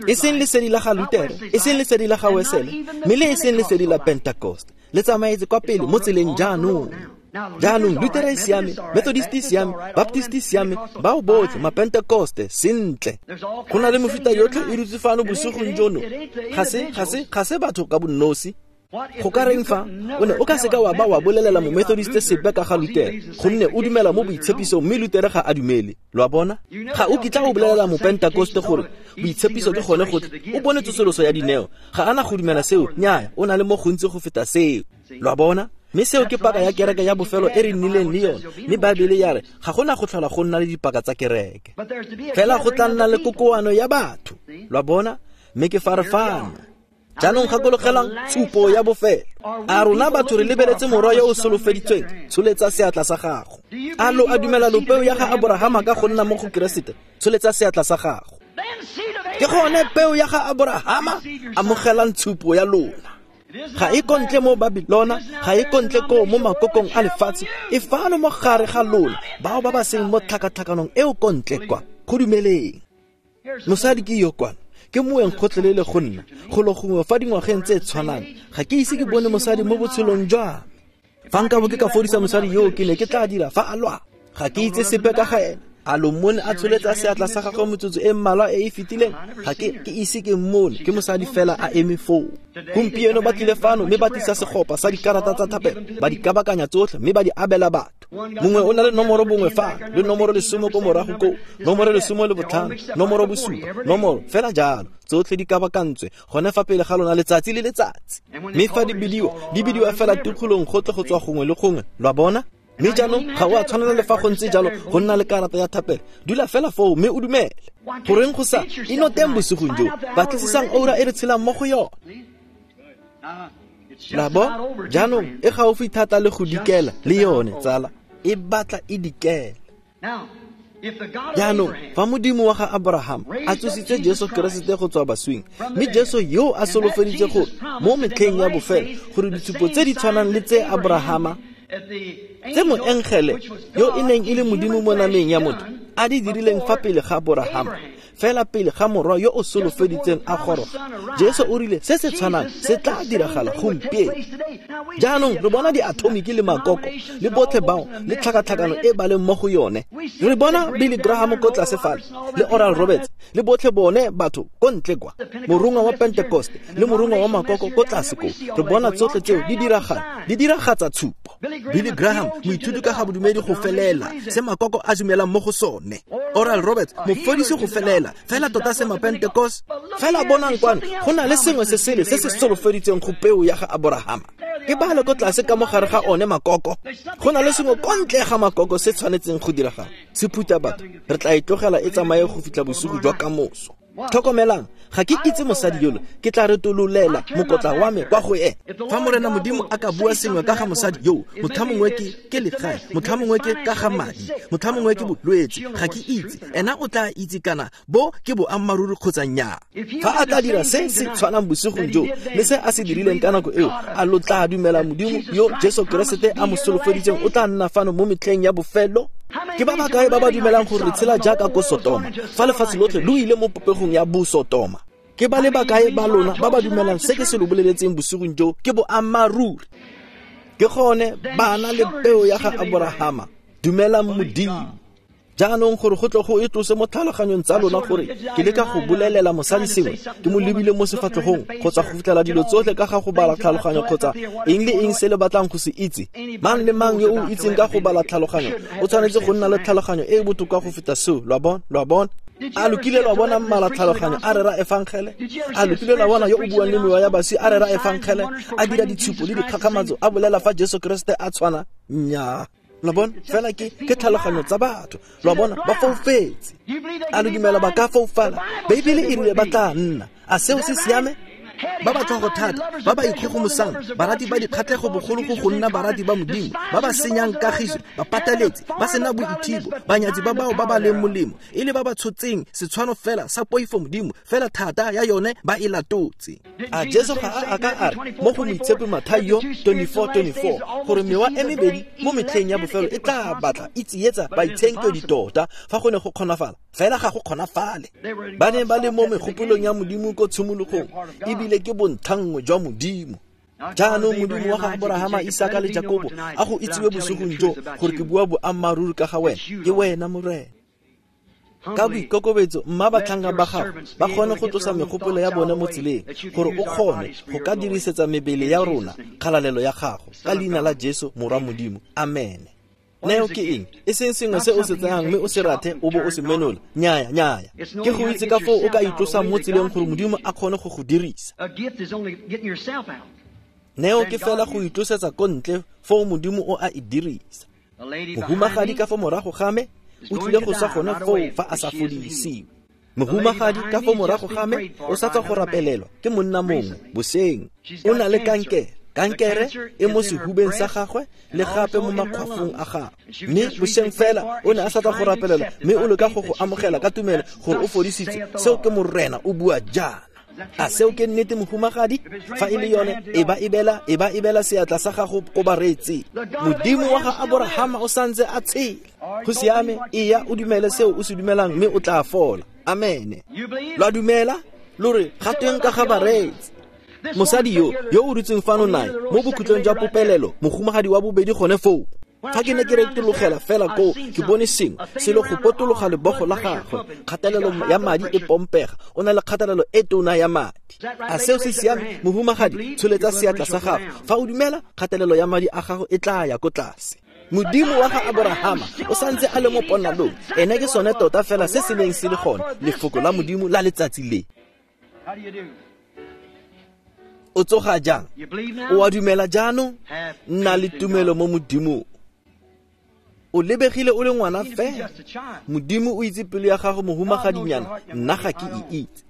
A: e seng lesedi la ga Lutere, e seng lesedi la ga Wesele, mme le e seng lesedi la Pentecost. Le tsamaetse kwa pele mo tseleng jaanong. Jaanong Lutere e siame, Methodist e siame, Baptist e siame, bao botlhe, Mapentecoste, sentle. Go na le mefuta yotlhe e dutse fano bosigong jono. Ga se, ga se, ga se batho ka bonosi. Go ka reng fa o ne o ka seka wa ba wa bolelela mo-Methodist sepe ka ga Lutere, gonne o dumela mo boitshepisong mme Lutere ga a dumele. Lo a bona? Ga o kitla o bolelela mo-Pentecoste gore boitshepiso ke gone gotlhe, o bone tsosoloso ya dineo. Ga ana go dumela seo, nnyaya, o na le mo gontsi go feta seo. Lo a bona? Mme seo ke paka ya kereke ya bofelo e re nnileng le yone. Mme Baebele ya re ga gona go tlhola go nna le dipaka tsa kereke, fela go tla nna le kokoano ya batho. Lo a bona? Mme ke fa re fano. Jaanong gakologelang tshupo ya bofelo. A rona batho re lebeletse morwa yo o solofeditsweng? Tsholetsa seatla sa gago. A lo a dumela lopeo ya ga Aborahama ka go nna mo go Keresete? Tsholetsa seatla sa gago. Ke gone peo ya ga Aborahama, amogelang tshupo ya lona. Ga e kontle mo Babilona, ga e kontle ko mo makokong a lefatshe, e fano mo gare ga lona, bao ba ba seng mo tlhakatlhakanong eo kontle kwa. Go dumeleng. Mosadi ke yo kwana, ke moeng gotlhelele go nna, golo gongwe fa dingwageng tse tshwanang. Ga ke ise ke bone mosadi mo botshelong jwa me. Fa nka bo ke ka fodisa mosadi yo ke ne ke tla dira fa a lwa. Ga ke itse sepe ka ga ena. A lo mmone a tsholetsa seatla sa gagwe metsotso e mmalwa e e fetileng? Ga ke ke ise ke mmone, ke mosadi fela a eme foo. Gompieno ba tlile fano mme ba tlisa segopa sa dikarata tsa thapelo, ba di kabakanya tsotlhe mme ba di abela batho. Mongwe o na le nomoro bongwe fa, le nomoro lesome ko morago koo, nomoro lesome le botlhano, nomoro bosupa, nomoro fela jalo. Tsotlhe di kabakantswe gone fa pele ga lona letsatsi le letsatsi. Mme fa di bidiwa, di bidiwa fela tikologong gotlhe go tswa gongwe le gongwe. Lo a bona? Mme jaanong ga o a tshwanela le fa go ntse jalo go nna le karata ya thapelo. Dula fela foo mme o dumele. Goreng go sa inoteng bosigong jo, batlisisang oura e re tshelang mo go yone. La bo? Jaanong e gaufi thata le go dikela le yone, tsala. E batla e dikela. Jaanong fa Modimo wa ga Abraham a tsositse Jesu Keresete go tswa baswing, mme Jesu yo a solofeditse gore mo metlheng ya bofelo gore ditshupo tse di tshwanang le tse Abrahama Tse moengele yo e neng e le Modimo mo nameng ya motho a di dirileng fa pele ga Aborahama, fela pele ga morwa yo o solofeditseng a goroga, Jesu o rile se se tshwanang se tla diragala gompieno. Jaanong re bona diatomiki le makoko le botlhe bao le tlhakatlhakano e ba leng mo go yone. Re bona Billy Graham ko tlase fale le Oral Roberts le botlhe bone batho ko ntle kwa, morongwa wa Pentecost le morongwa wa makoko ko tlase ko. Re bona tsotlhe tseo di diragala, di diragatsa tshupo. Billy Graham moithuti ka ga bodumedi go felela se makoko a dumelang mo go sone. Oral Roberts mofodisi go felela fela tota se ma-Pentecost. Fela bonang kwano go na le sengwe se sele se se solofeditseng go peo ya ga Aborahama. Ke bale ko tlase ka mogare ga one makoko. Go na le sengwe ko ntle ga makoko se tshwanetseng go diragala. Se phutha batho, re tla e tlogela e tsamaye go fitlha bosigo jwa kamoso. Tlhokomelang, ga ke itse mosadi yolo, ke tla retololela mokotla wa me kwa go ene. Fa Morena Modimo a ka bua sengwe ka ga mosadi yo, motlhamongwe ke ke legae, motlhamongwe ke ka ga madi, motlhamongwe ke bolwetse, ga ke itse. Ena o tla itse kana bo ke boammaaruri kgotsa nnyaa. Fa a tla dira se se tshwanang bosigong jo le se a se dirileng ka nako eo, a lo tla dumela Modimo yo Jesu Keresete a mo solofeditseng o tla nna fano mo metlheng ya bofelo? Ke ba bakae ba ba dumelang gore re tshela jaaka ko Sotoma, fa lefatshe lotlhe lo ile mo popegong ya bosotoma? Ke ba le bakae ba lona ba ba dumelang se ke se lo boleletseng bosigong jo ke boammaaruri? Ke gone bana le peo ya ga Aborahama, dumelang Modimo. Jaanong gore go tle go e tlose mo tlhaloganyong tsa lona gore ke leka go bolelela mosadi sengwe, ke mo lebile mo sefatlhegong kgotsa go fitlhela dilo tsotlhe ka ga go bala tlhaloganyo kgotsa eng le eng se le batlang go se itse. Mang le mang yo o itseng ka go bala tlhaloganyo o tshwanetse go nna le tlhaloganyo e e botoka go feta seo. Lo a bona? Lo a bona? A lo kile lwa bona mmala tlhaloganyo a rera efangele? A lo kile lwa bona yo o buang le mewa ya baswi a rera efangele, a dira ditshupo le dikgakgamatso, a bolela fa Jesu Keresete a tshwana? Nnyaa. Lo bona? Fela ke ke tlhaloganyo tsa batho. Lo bona? Ba foufetse. A lo dumela ba ka foufala? Beibele e rile ba tla nna. A seo se siame? Ba ba tlhogo thata, ba ba ikgogomosang, barati ba dikgatlhego bogolo go go nna barati ba Modimo, ba ba senyang kagiso, ba pateletse, ba sena boithibo, banyatsi ba bao ba ba leng molemo, e le ba ba tshotseng setshwano fela sa poifo Modimo, fela thata ya yone ba e latotse. A Jesu ga a a ka a re mo go Moitshepi Mathaio twenty-four twenty-four gore mewa e mebedi mo metlheng ya bofelo e tla batla e tsietsa baitshenkedwi tota fa go ne go kgonafala, fela ga go kgonafale. Ba ne ba le mo megopolong ya Modimo ko tshimologong, ebile ke bontlhanngwe jwa Modimo. Jaanong Modimo wa ga Aborahama, Isaka le Jakobo a go itsiwe bosigong jo gore ke bua boammaaruri ka ga wena, ke wena Morena. Ka boikokobetso mma batlhanka ba gago ba kgone go tlosa megopolo ya bone mo tseleng, gore o kgone go ka dirisetsa mebele ya rona kgalalelo ya gago, ka leina la Jesu Morwa Modimo. Amen. Neo ke eng? E seng sengwe se o se tsayang mme o se rathe o bo o se menola. Nnyaya, nnyaya. Ke go itse ka foo o ka itlosang mo tseleng gore Modimo a kgone go go dirisa. Neo ke fela go itlosetsa ko ntle foo Modimo o a e dirisa. Mohumagadi ka fa morago ga me o tlile go sa gone foo fa a sa fodisiwe. Mohumagadi ka fa morago ga me o sa tswa go rapelelwa ke monna mongwe boseng. O na le kankere. Kankere e mo sehubeng sa gagwe le gape mo makgwafong a gagwe. Mme boseng fela o ne a sa tla go rapelelwa, mme o leka go go amogela ka tumelo gore o fodisitswe. Seo ke Morena o bua jaana. A seo ke nnete mohumagadi? Fa e le yone, e ba ebela, e ba ebela seatla sa gago ko bareetsing. Modimo wa ga Aborahama o santse a tshela. Go siame, eya o dumele seo o se dumelang mme o tla fola. Amen. Lo a dumela? Lo re ga tweng ka ga bareetsi? Mosadi yo yo o dutseng fano nae mo bokhutlong jwa popelelo, mohumagadi wa bobedi gone foo. Fa ke ne ke retologela fela koo, ke bone sengwe selo go potologa lebogo la gagwe. Kgatelelo ya madi e pompega, o na le kgatelelo e tona ya madi. A seo se siame? Mohumagadi, tsholetsa seatla sa gago. Fa o dumela, kgatelelo ya madi a gago e tla ya ko tlase. Modimo wa ga Aborahama o santse a le mo ponalong. Ene ke sone tota fela se se neng se le gone, lefoko la Modimo la letsatsi le. O tsoga jang? O a dumela jaanong? Nna le tumelo mo Modimong. O lebegile o le ngwana fela. Modimo o itse pelo ya gago mohumagadinyana, nna ga ke e itse.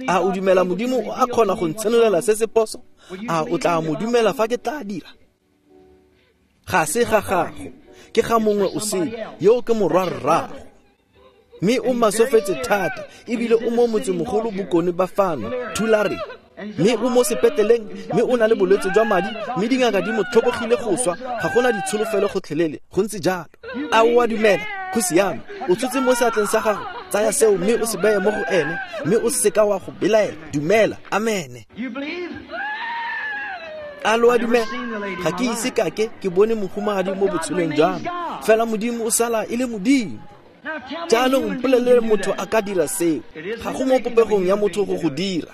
A: A o dumela Modimo o a kgona go ntshenolela se se poso? A o tla mo dumela fa ke tla dira? Ga se ga gago, ke ga mongwe o sele, yo ke morwa rrago. Mme o masofetse thata, ebile o mo motsemogolo bokone ba fano, Thulare. Mme o mo sepetleleng, mme o na le bolwetse jwa madi, mme dingaka di mo tlhobogile go swa, ga gona ditsholofelo gotlhelele, go ntse jalo. A o a dumela? Go siame. O tshotse mo seatleng sa gago, tsaya seo mme o se beye mo go ene, mme o seka wa go belaela. Dumela. Amene. A lo a dumela? Ga ke ise kake ke bone mohumagadi mo botshelong jwa me, fela Modimo o sala e le Modimo. Jaanong mpolelele motho a ka dira seo. Ga go mo popegong ya motho go go dira.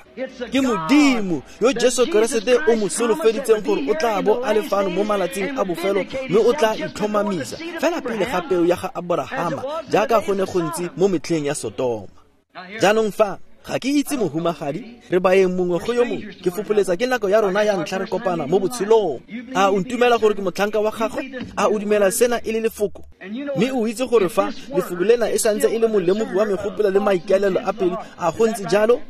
A: Ke Modimo yo Jesu Keresete o mo solofeditseng gore o tla bo a le fano mo malatsing a bofelo, mme o tla itlhomamisa fela pele ga peo ya ga Aborahama, jaaka go ne go ntse mo metlheng ya Sotoma. Jaanong fa ga ke itse mohumagadi, re baeng mongwe go yo mongwe, ke fopholetsa ke nako ya rona ya ntlha re kopana mo botshelong. A o ntumela gore ke motlhanka wa gagwe? A o dumela sena e le lefoko? Mme o itse gore fa lefoko lena e santse e le molemogi wa megopolo le maikaelelo a pelo, a go ntse jalo?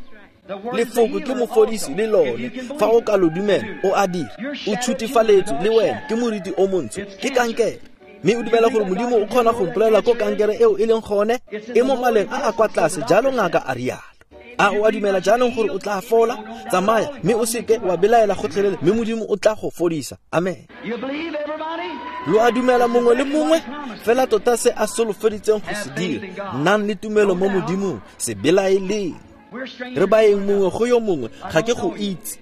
A: Lefoko ke mofodisi le lone. Fa o ka lo dumela, o a dira. O tshutifaletswe le wena ke moriti o montsho, ke kankere. Mme o dumela gore Modimo o kgona go mpolelela ko kankere eo e leng gone, e mo maleng a a kwa tlase, jalo ngaka a rialo. A o a dumela jaanong gore o tla fola? Tsamaya mme o seke wa belaela gotlhelele, mme Modimo o tla go fodisa. Amen. Lo a dumela mongwe le mongwe? Fela tota se a solofeditseng go se dira. Nnang le tumelo mo Modimong, se belaeleng. Re baeng mongwe go yo mongwe, ga ke go itse.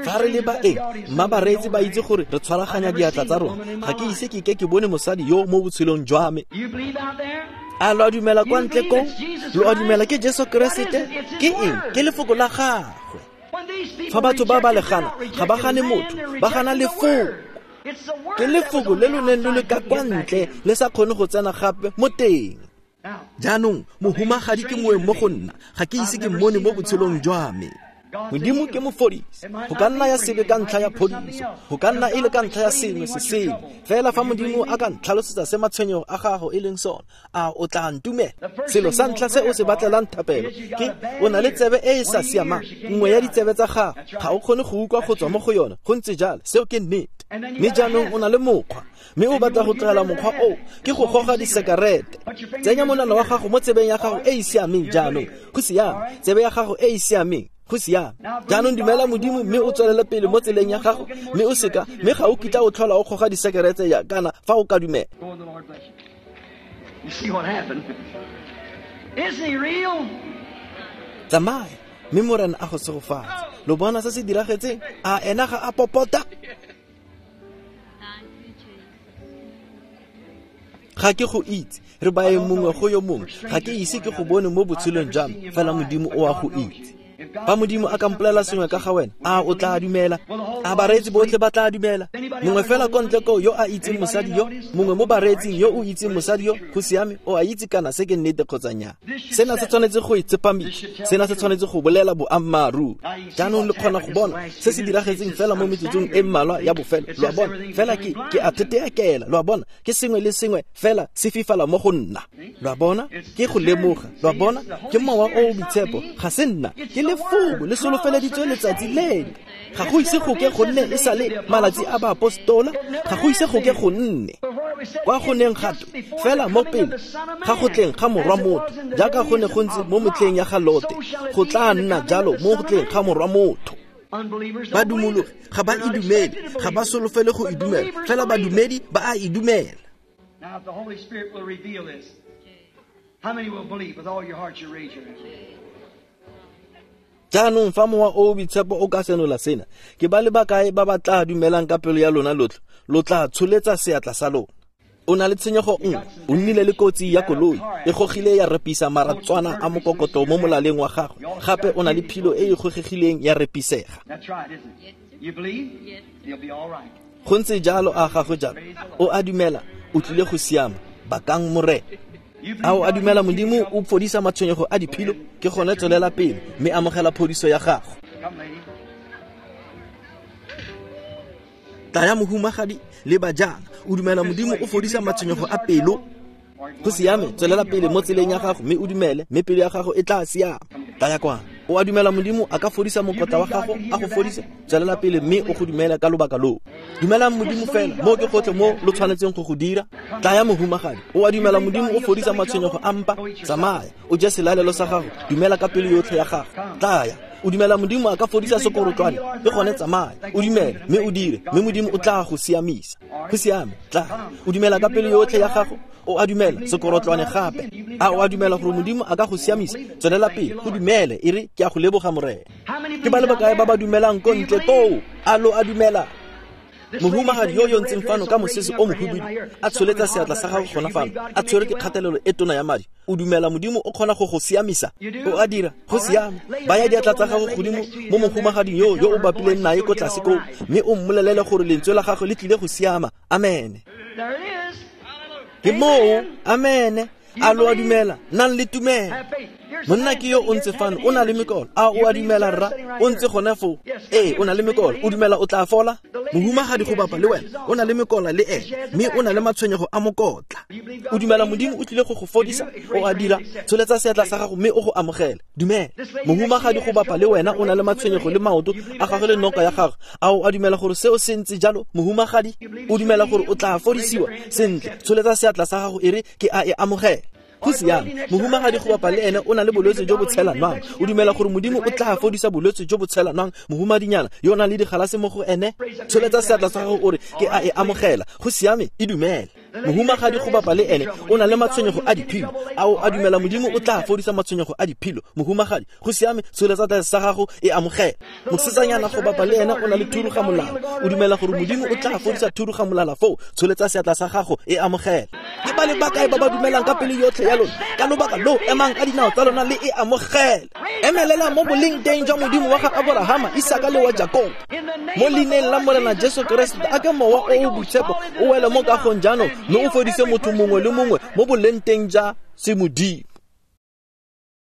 A: Fa re le baeng, mma bareetsi ba itse gore re tshwaraganya diatla tsa rona. Ga ke ise ke ke ke bone mosadi yo mo botshelong jwa me. A lo a dumela kwa ntle koo? Lo a dumela ke Jesu Keresete? Ke eng? Ke lefoko la gagwe. Fa batho ba ba le gana, ga ba gane motho, ba gana lefoko. Ke lefoko le lo neng lo le ka kwa ntle, le sa kgone go tsena gape mo teng. Jaanong mohumagadi ke moeng mo go nna, ga ke ise ke mmone mo botshelong jwa me. Modimo ke mofodisi. Go ka nna ya sebe ka ntlha ya phodiso, go ka nna e le ka ntlha ya sengwe se sengwe. Fela fa Modimo a ka ntlhalosetsa se matshwenyego a gago e leng sone, a o tla ntumela? Selo sa ntlha se o se batlelang thapelo ke o na le tsebe e e sa siamang. Nngwe ya ditsebe tsa gago ga o kgone go utlwa go tswa mo go yone. Go ntse jalo, seo ke nnete. Mme jaanong o na le mokgwa, mme o batla go tlogela mokgwa oo, ke go goga disekarete. Tsenya monwana wa gago mo tsebeng ya gago e e siameng jaanong. Go siame, tsebe ya gago e e siameng. Go siame. Jaanong dumela Modimo mme o tswelele pele mo tseleng ya gago, mme o seka, mme ga o kitla o tlhola o goga disekerete ya kana fa o ka dumela. Tsamaya, mme Morena a go segofatse. Lo bona se se diragetseng? A ena ga a popota? Ga ke go itse, re baeng mongwe go yo mongwe, ga ke ise ke go bone mo botshelong jwa me, fela Modimo o a go itse. Fa Modimo a ka mpolelela sengwe ka ga wena, a o tla dumela? A bareetsi botlhe ba tla dumela? Mongwe fela ko ntle koo yo a itseng mosadi yo, mongwe mo bareetsing yo o itseng mosadi yo, go siame, o a itse kana se ke nnete kgotsa nnyaa. Sena se tshwanetse go itsepamisa, sena se tshwanetse go bolela boammaaruri. Jaanong le kgona go bona se se diragetseng fela mo metsotsong e mmalwa ya bofelo. Lo a bona? Fela ke ke a theteakela. Lo a bona? Ke sengwe le sengwe fela se fifala mo go nna. Lo a bona? Ke go lemoga. Lo a bona? Ke mowa o o boitshepo, ga se nna. Ke lefoko le solofeleditswe letsatsi leno. Ga go ise go ke go nne e sale malatsi a baapostola, ga go ise go ke go nne. Kwa go neng gatwe fela mo pele ga go tleng ga morwa motho, jaaka go ne go ntse mo metlheng ya ga Lote, go tla nna jalo mo go tleng ga morwa motho. Badumologi ga ba e dumele, ga ba solofele go e dumela, fela badumedi ba a e dumela.
B: Now if the Holy Spirit will reveal this, how many will believe with all your heart? You raise your hand.
A: Jaanong fa mowa o o boitshepo o ka senola sena, ke ba le bakae ba ba tla dumelang ka pelo ya lona lotlhe? Lo tla tsholetsa seatla sa lona. O na le tshenyego nngwe, o nnile le kotsi ya koloi, e gogile ya repisa maratswana a mokokotlo mo molaleng wa gagwe. Gape o na le philo e e gogegileng ya repisega. Go ntse jalo, a gagwe jalo. O a dumela, o tlile go siama. Bakang Morena. A o a dumela Modimo o fodisa matshwenyego a diphilo? Ke gone tswelela pele mme amogela phodiso ya gago. Tlaya mohumagadi le bajana, o dumela Modimo o fodisa matshwenyego a pelo? Go siame, tswelela pele mo tseleng ya gago mme o dumele, mme pelo ya gago e tla siama. Tlaya kwano. O a dumela Modimo a ka fodisa mokotla wa gago, a go fodise? Tswelela pele mme o go dumele ka lobaka loo. Dumelang Modimo fela, mo ke gotlhe mo lo tshwanetseng go go dira. Tlaya mohumagadi, o a dumela Modimo o fodisa matshwenyego a mpa? Tsamaya, o je selalelo sa gago, dumela ka pelo yotlhe ya gago. Tlaya, O dumela Modimo a ka fodisa sekorotlwane? Le gone tsamaya, o dumele mme o dire, mme Modimo o tla go siamisa. Go siame, tla. O dumela ka pelo yotlhe ya gago? O a dumela sekorotlwane gape? A o a dumela gore Modimo a ka go siamisa? Tswelela pele, go dumele, e re ke a go leboga Morena. Ke ba le bakae ba ba dumelang ko ntle koo? A lo a dumela? Mohumagadi yo yo ntseng fano ka mosese o mohubidu a tsholetsa seatla sa gago gona fano, a tshwere ke kgatelelo e tona ya madi. O dumela Modimo o kgona go go siamisa? O a dira? Go siame. Baya diatla tsa gago godimo mo mohumagading yo yo o bapileng nae ko tlase koo, mme o mmolelele gore lentswe la gagwe le tlile go siama. Amene. Ke moo. Amene. A lo a dumela? Nang le tumelo. Monna ke yo o ntse fano, o na le mekolo. A o a dumela rra? O ntse gone foo. Ee, o na le mekolo. O dumela o tla fola? Mohumagadi go bapa le wena o na le mekola le ene, mme o na le matshwenyego a mokotla. O dumela Modimo o tlile go go fodisa? O a dira? Tsholetsa seatla sa gago mme o go amogele. Dumela. Mohumagadi go bapa le wena o na le matshwenyego le maoto a gagwe le noka ya gagwe. A o a dumela gore seo se ntse jalo, mohumagadi? O dumela gore o tla fodisiwa? Sentle, tsholetsa seatla sa gago e re ke a e amogela. Go siame. Mohumagadi go bapa le ene o na le bolwetse jo bo tshelanwang. O dumela gore Modimo o tla fodisa bolwetse jo bo tshelanwang? Mohumadinyana yo o nang le digalase mo go ene, tsholetsa seatla sa gago o re ke a e amogela. Go siame, e dumele. Mohumagadi go bapa le ene o na le matshwenyego a diphilo. A o a dumela Modimo o tla fodisa matshwenyego a diphilo? Mohumagadi, go siame, tsholetsa seatla sa gago e amogela. Mosetsanyana go bapa le ene o na le thuruga molala. O dumela gore Modimo o tla fodisa thuruga molala foo? Tsholetsa seatla sa gago e amogela. Ke ba le bakae ba ba dumelang ka pelo yotlhe ya lona? Ka lobaka lo emang ka dinao tsa lona le e amogele. Emelela mo boleng teng jwa Modimo wa ga Aborahama, Isaka le wa Jakobo. Mo leineng la Morena Jesu Keresete, a ke mowa o o boitshepo o wele mo kagong jaanong, mme o fodise motho mongwe le mongwe mo boleng teng ja semodimo.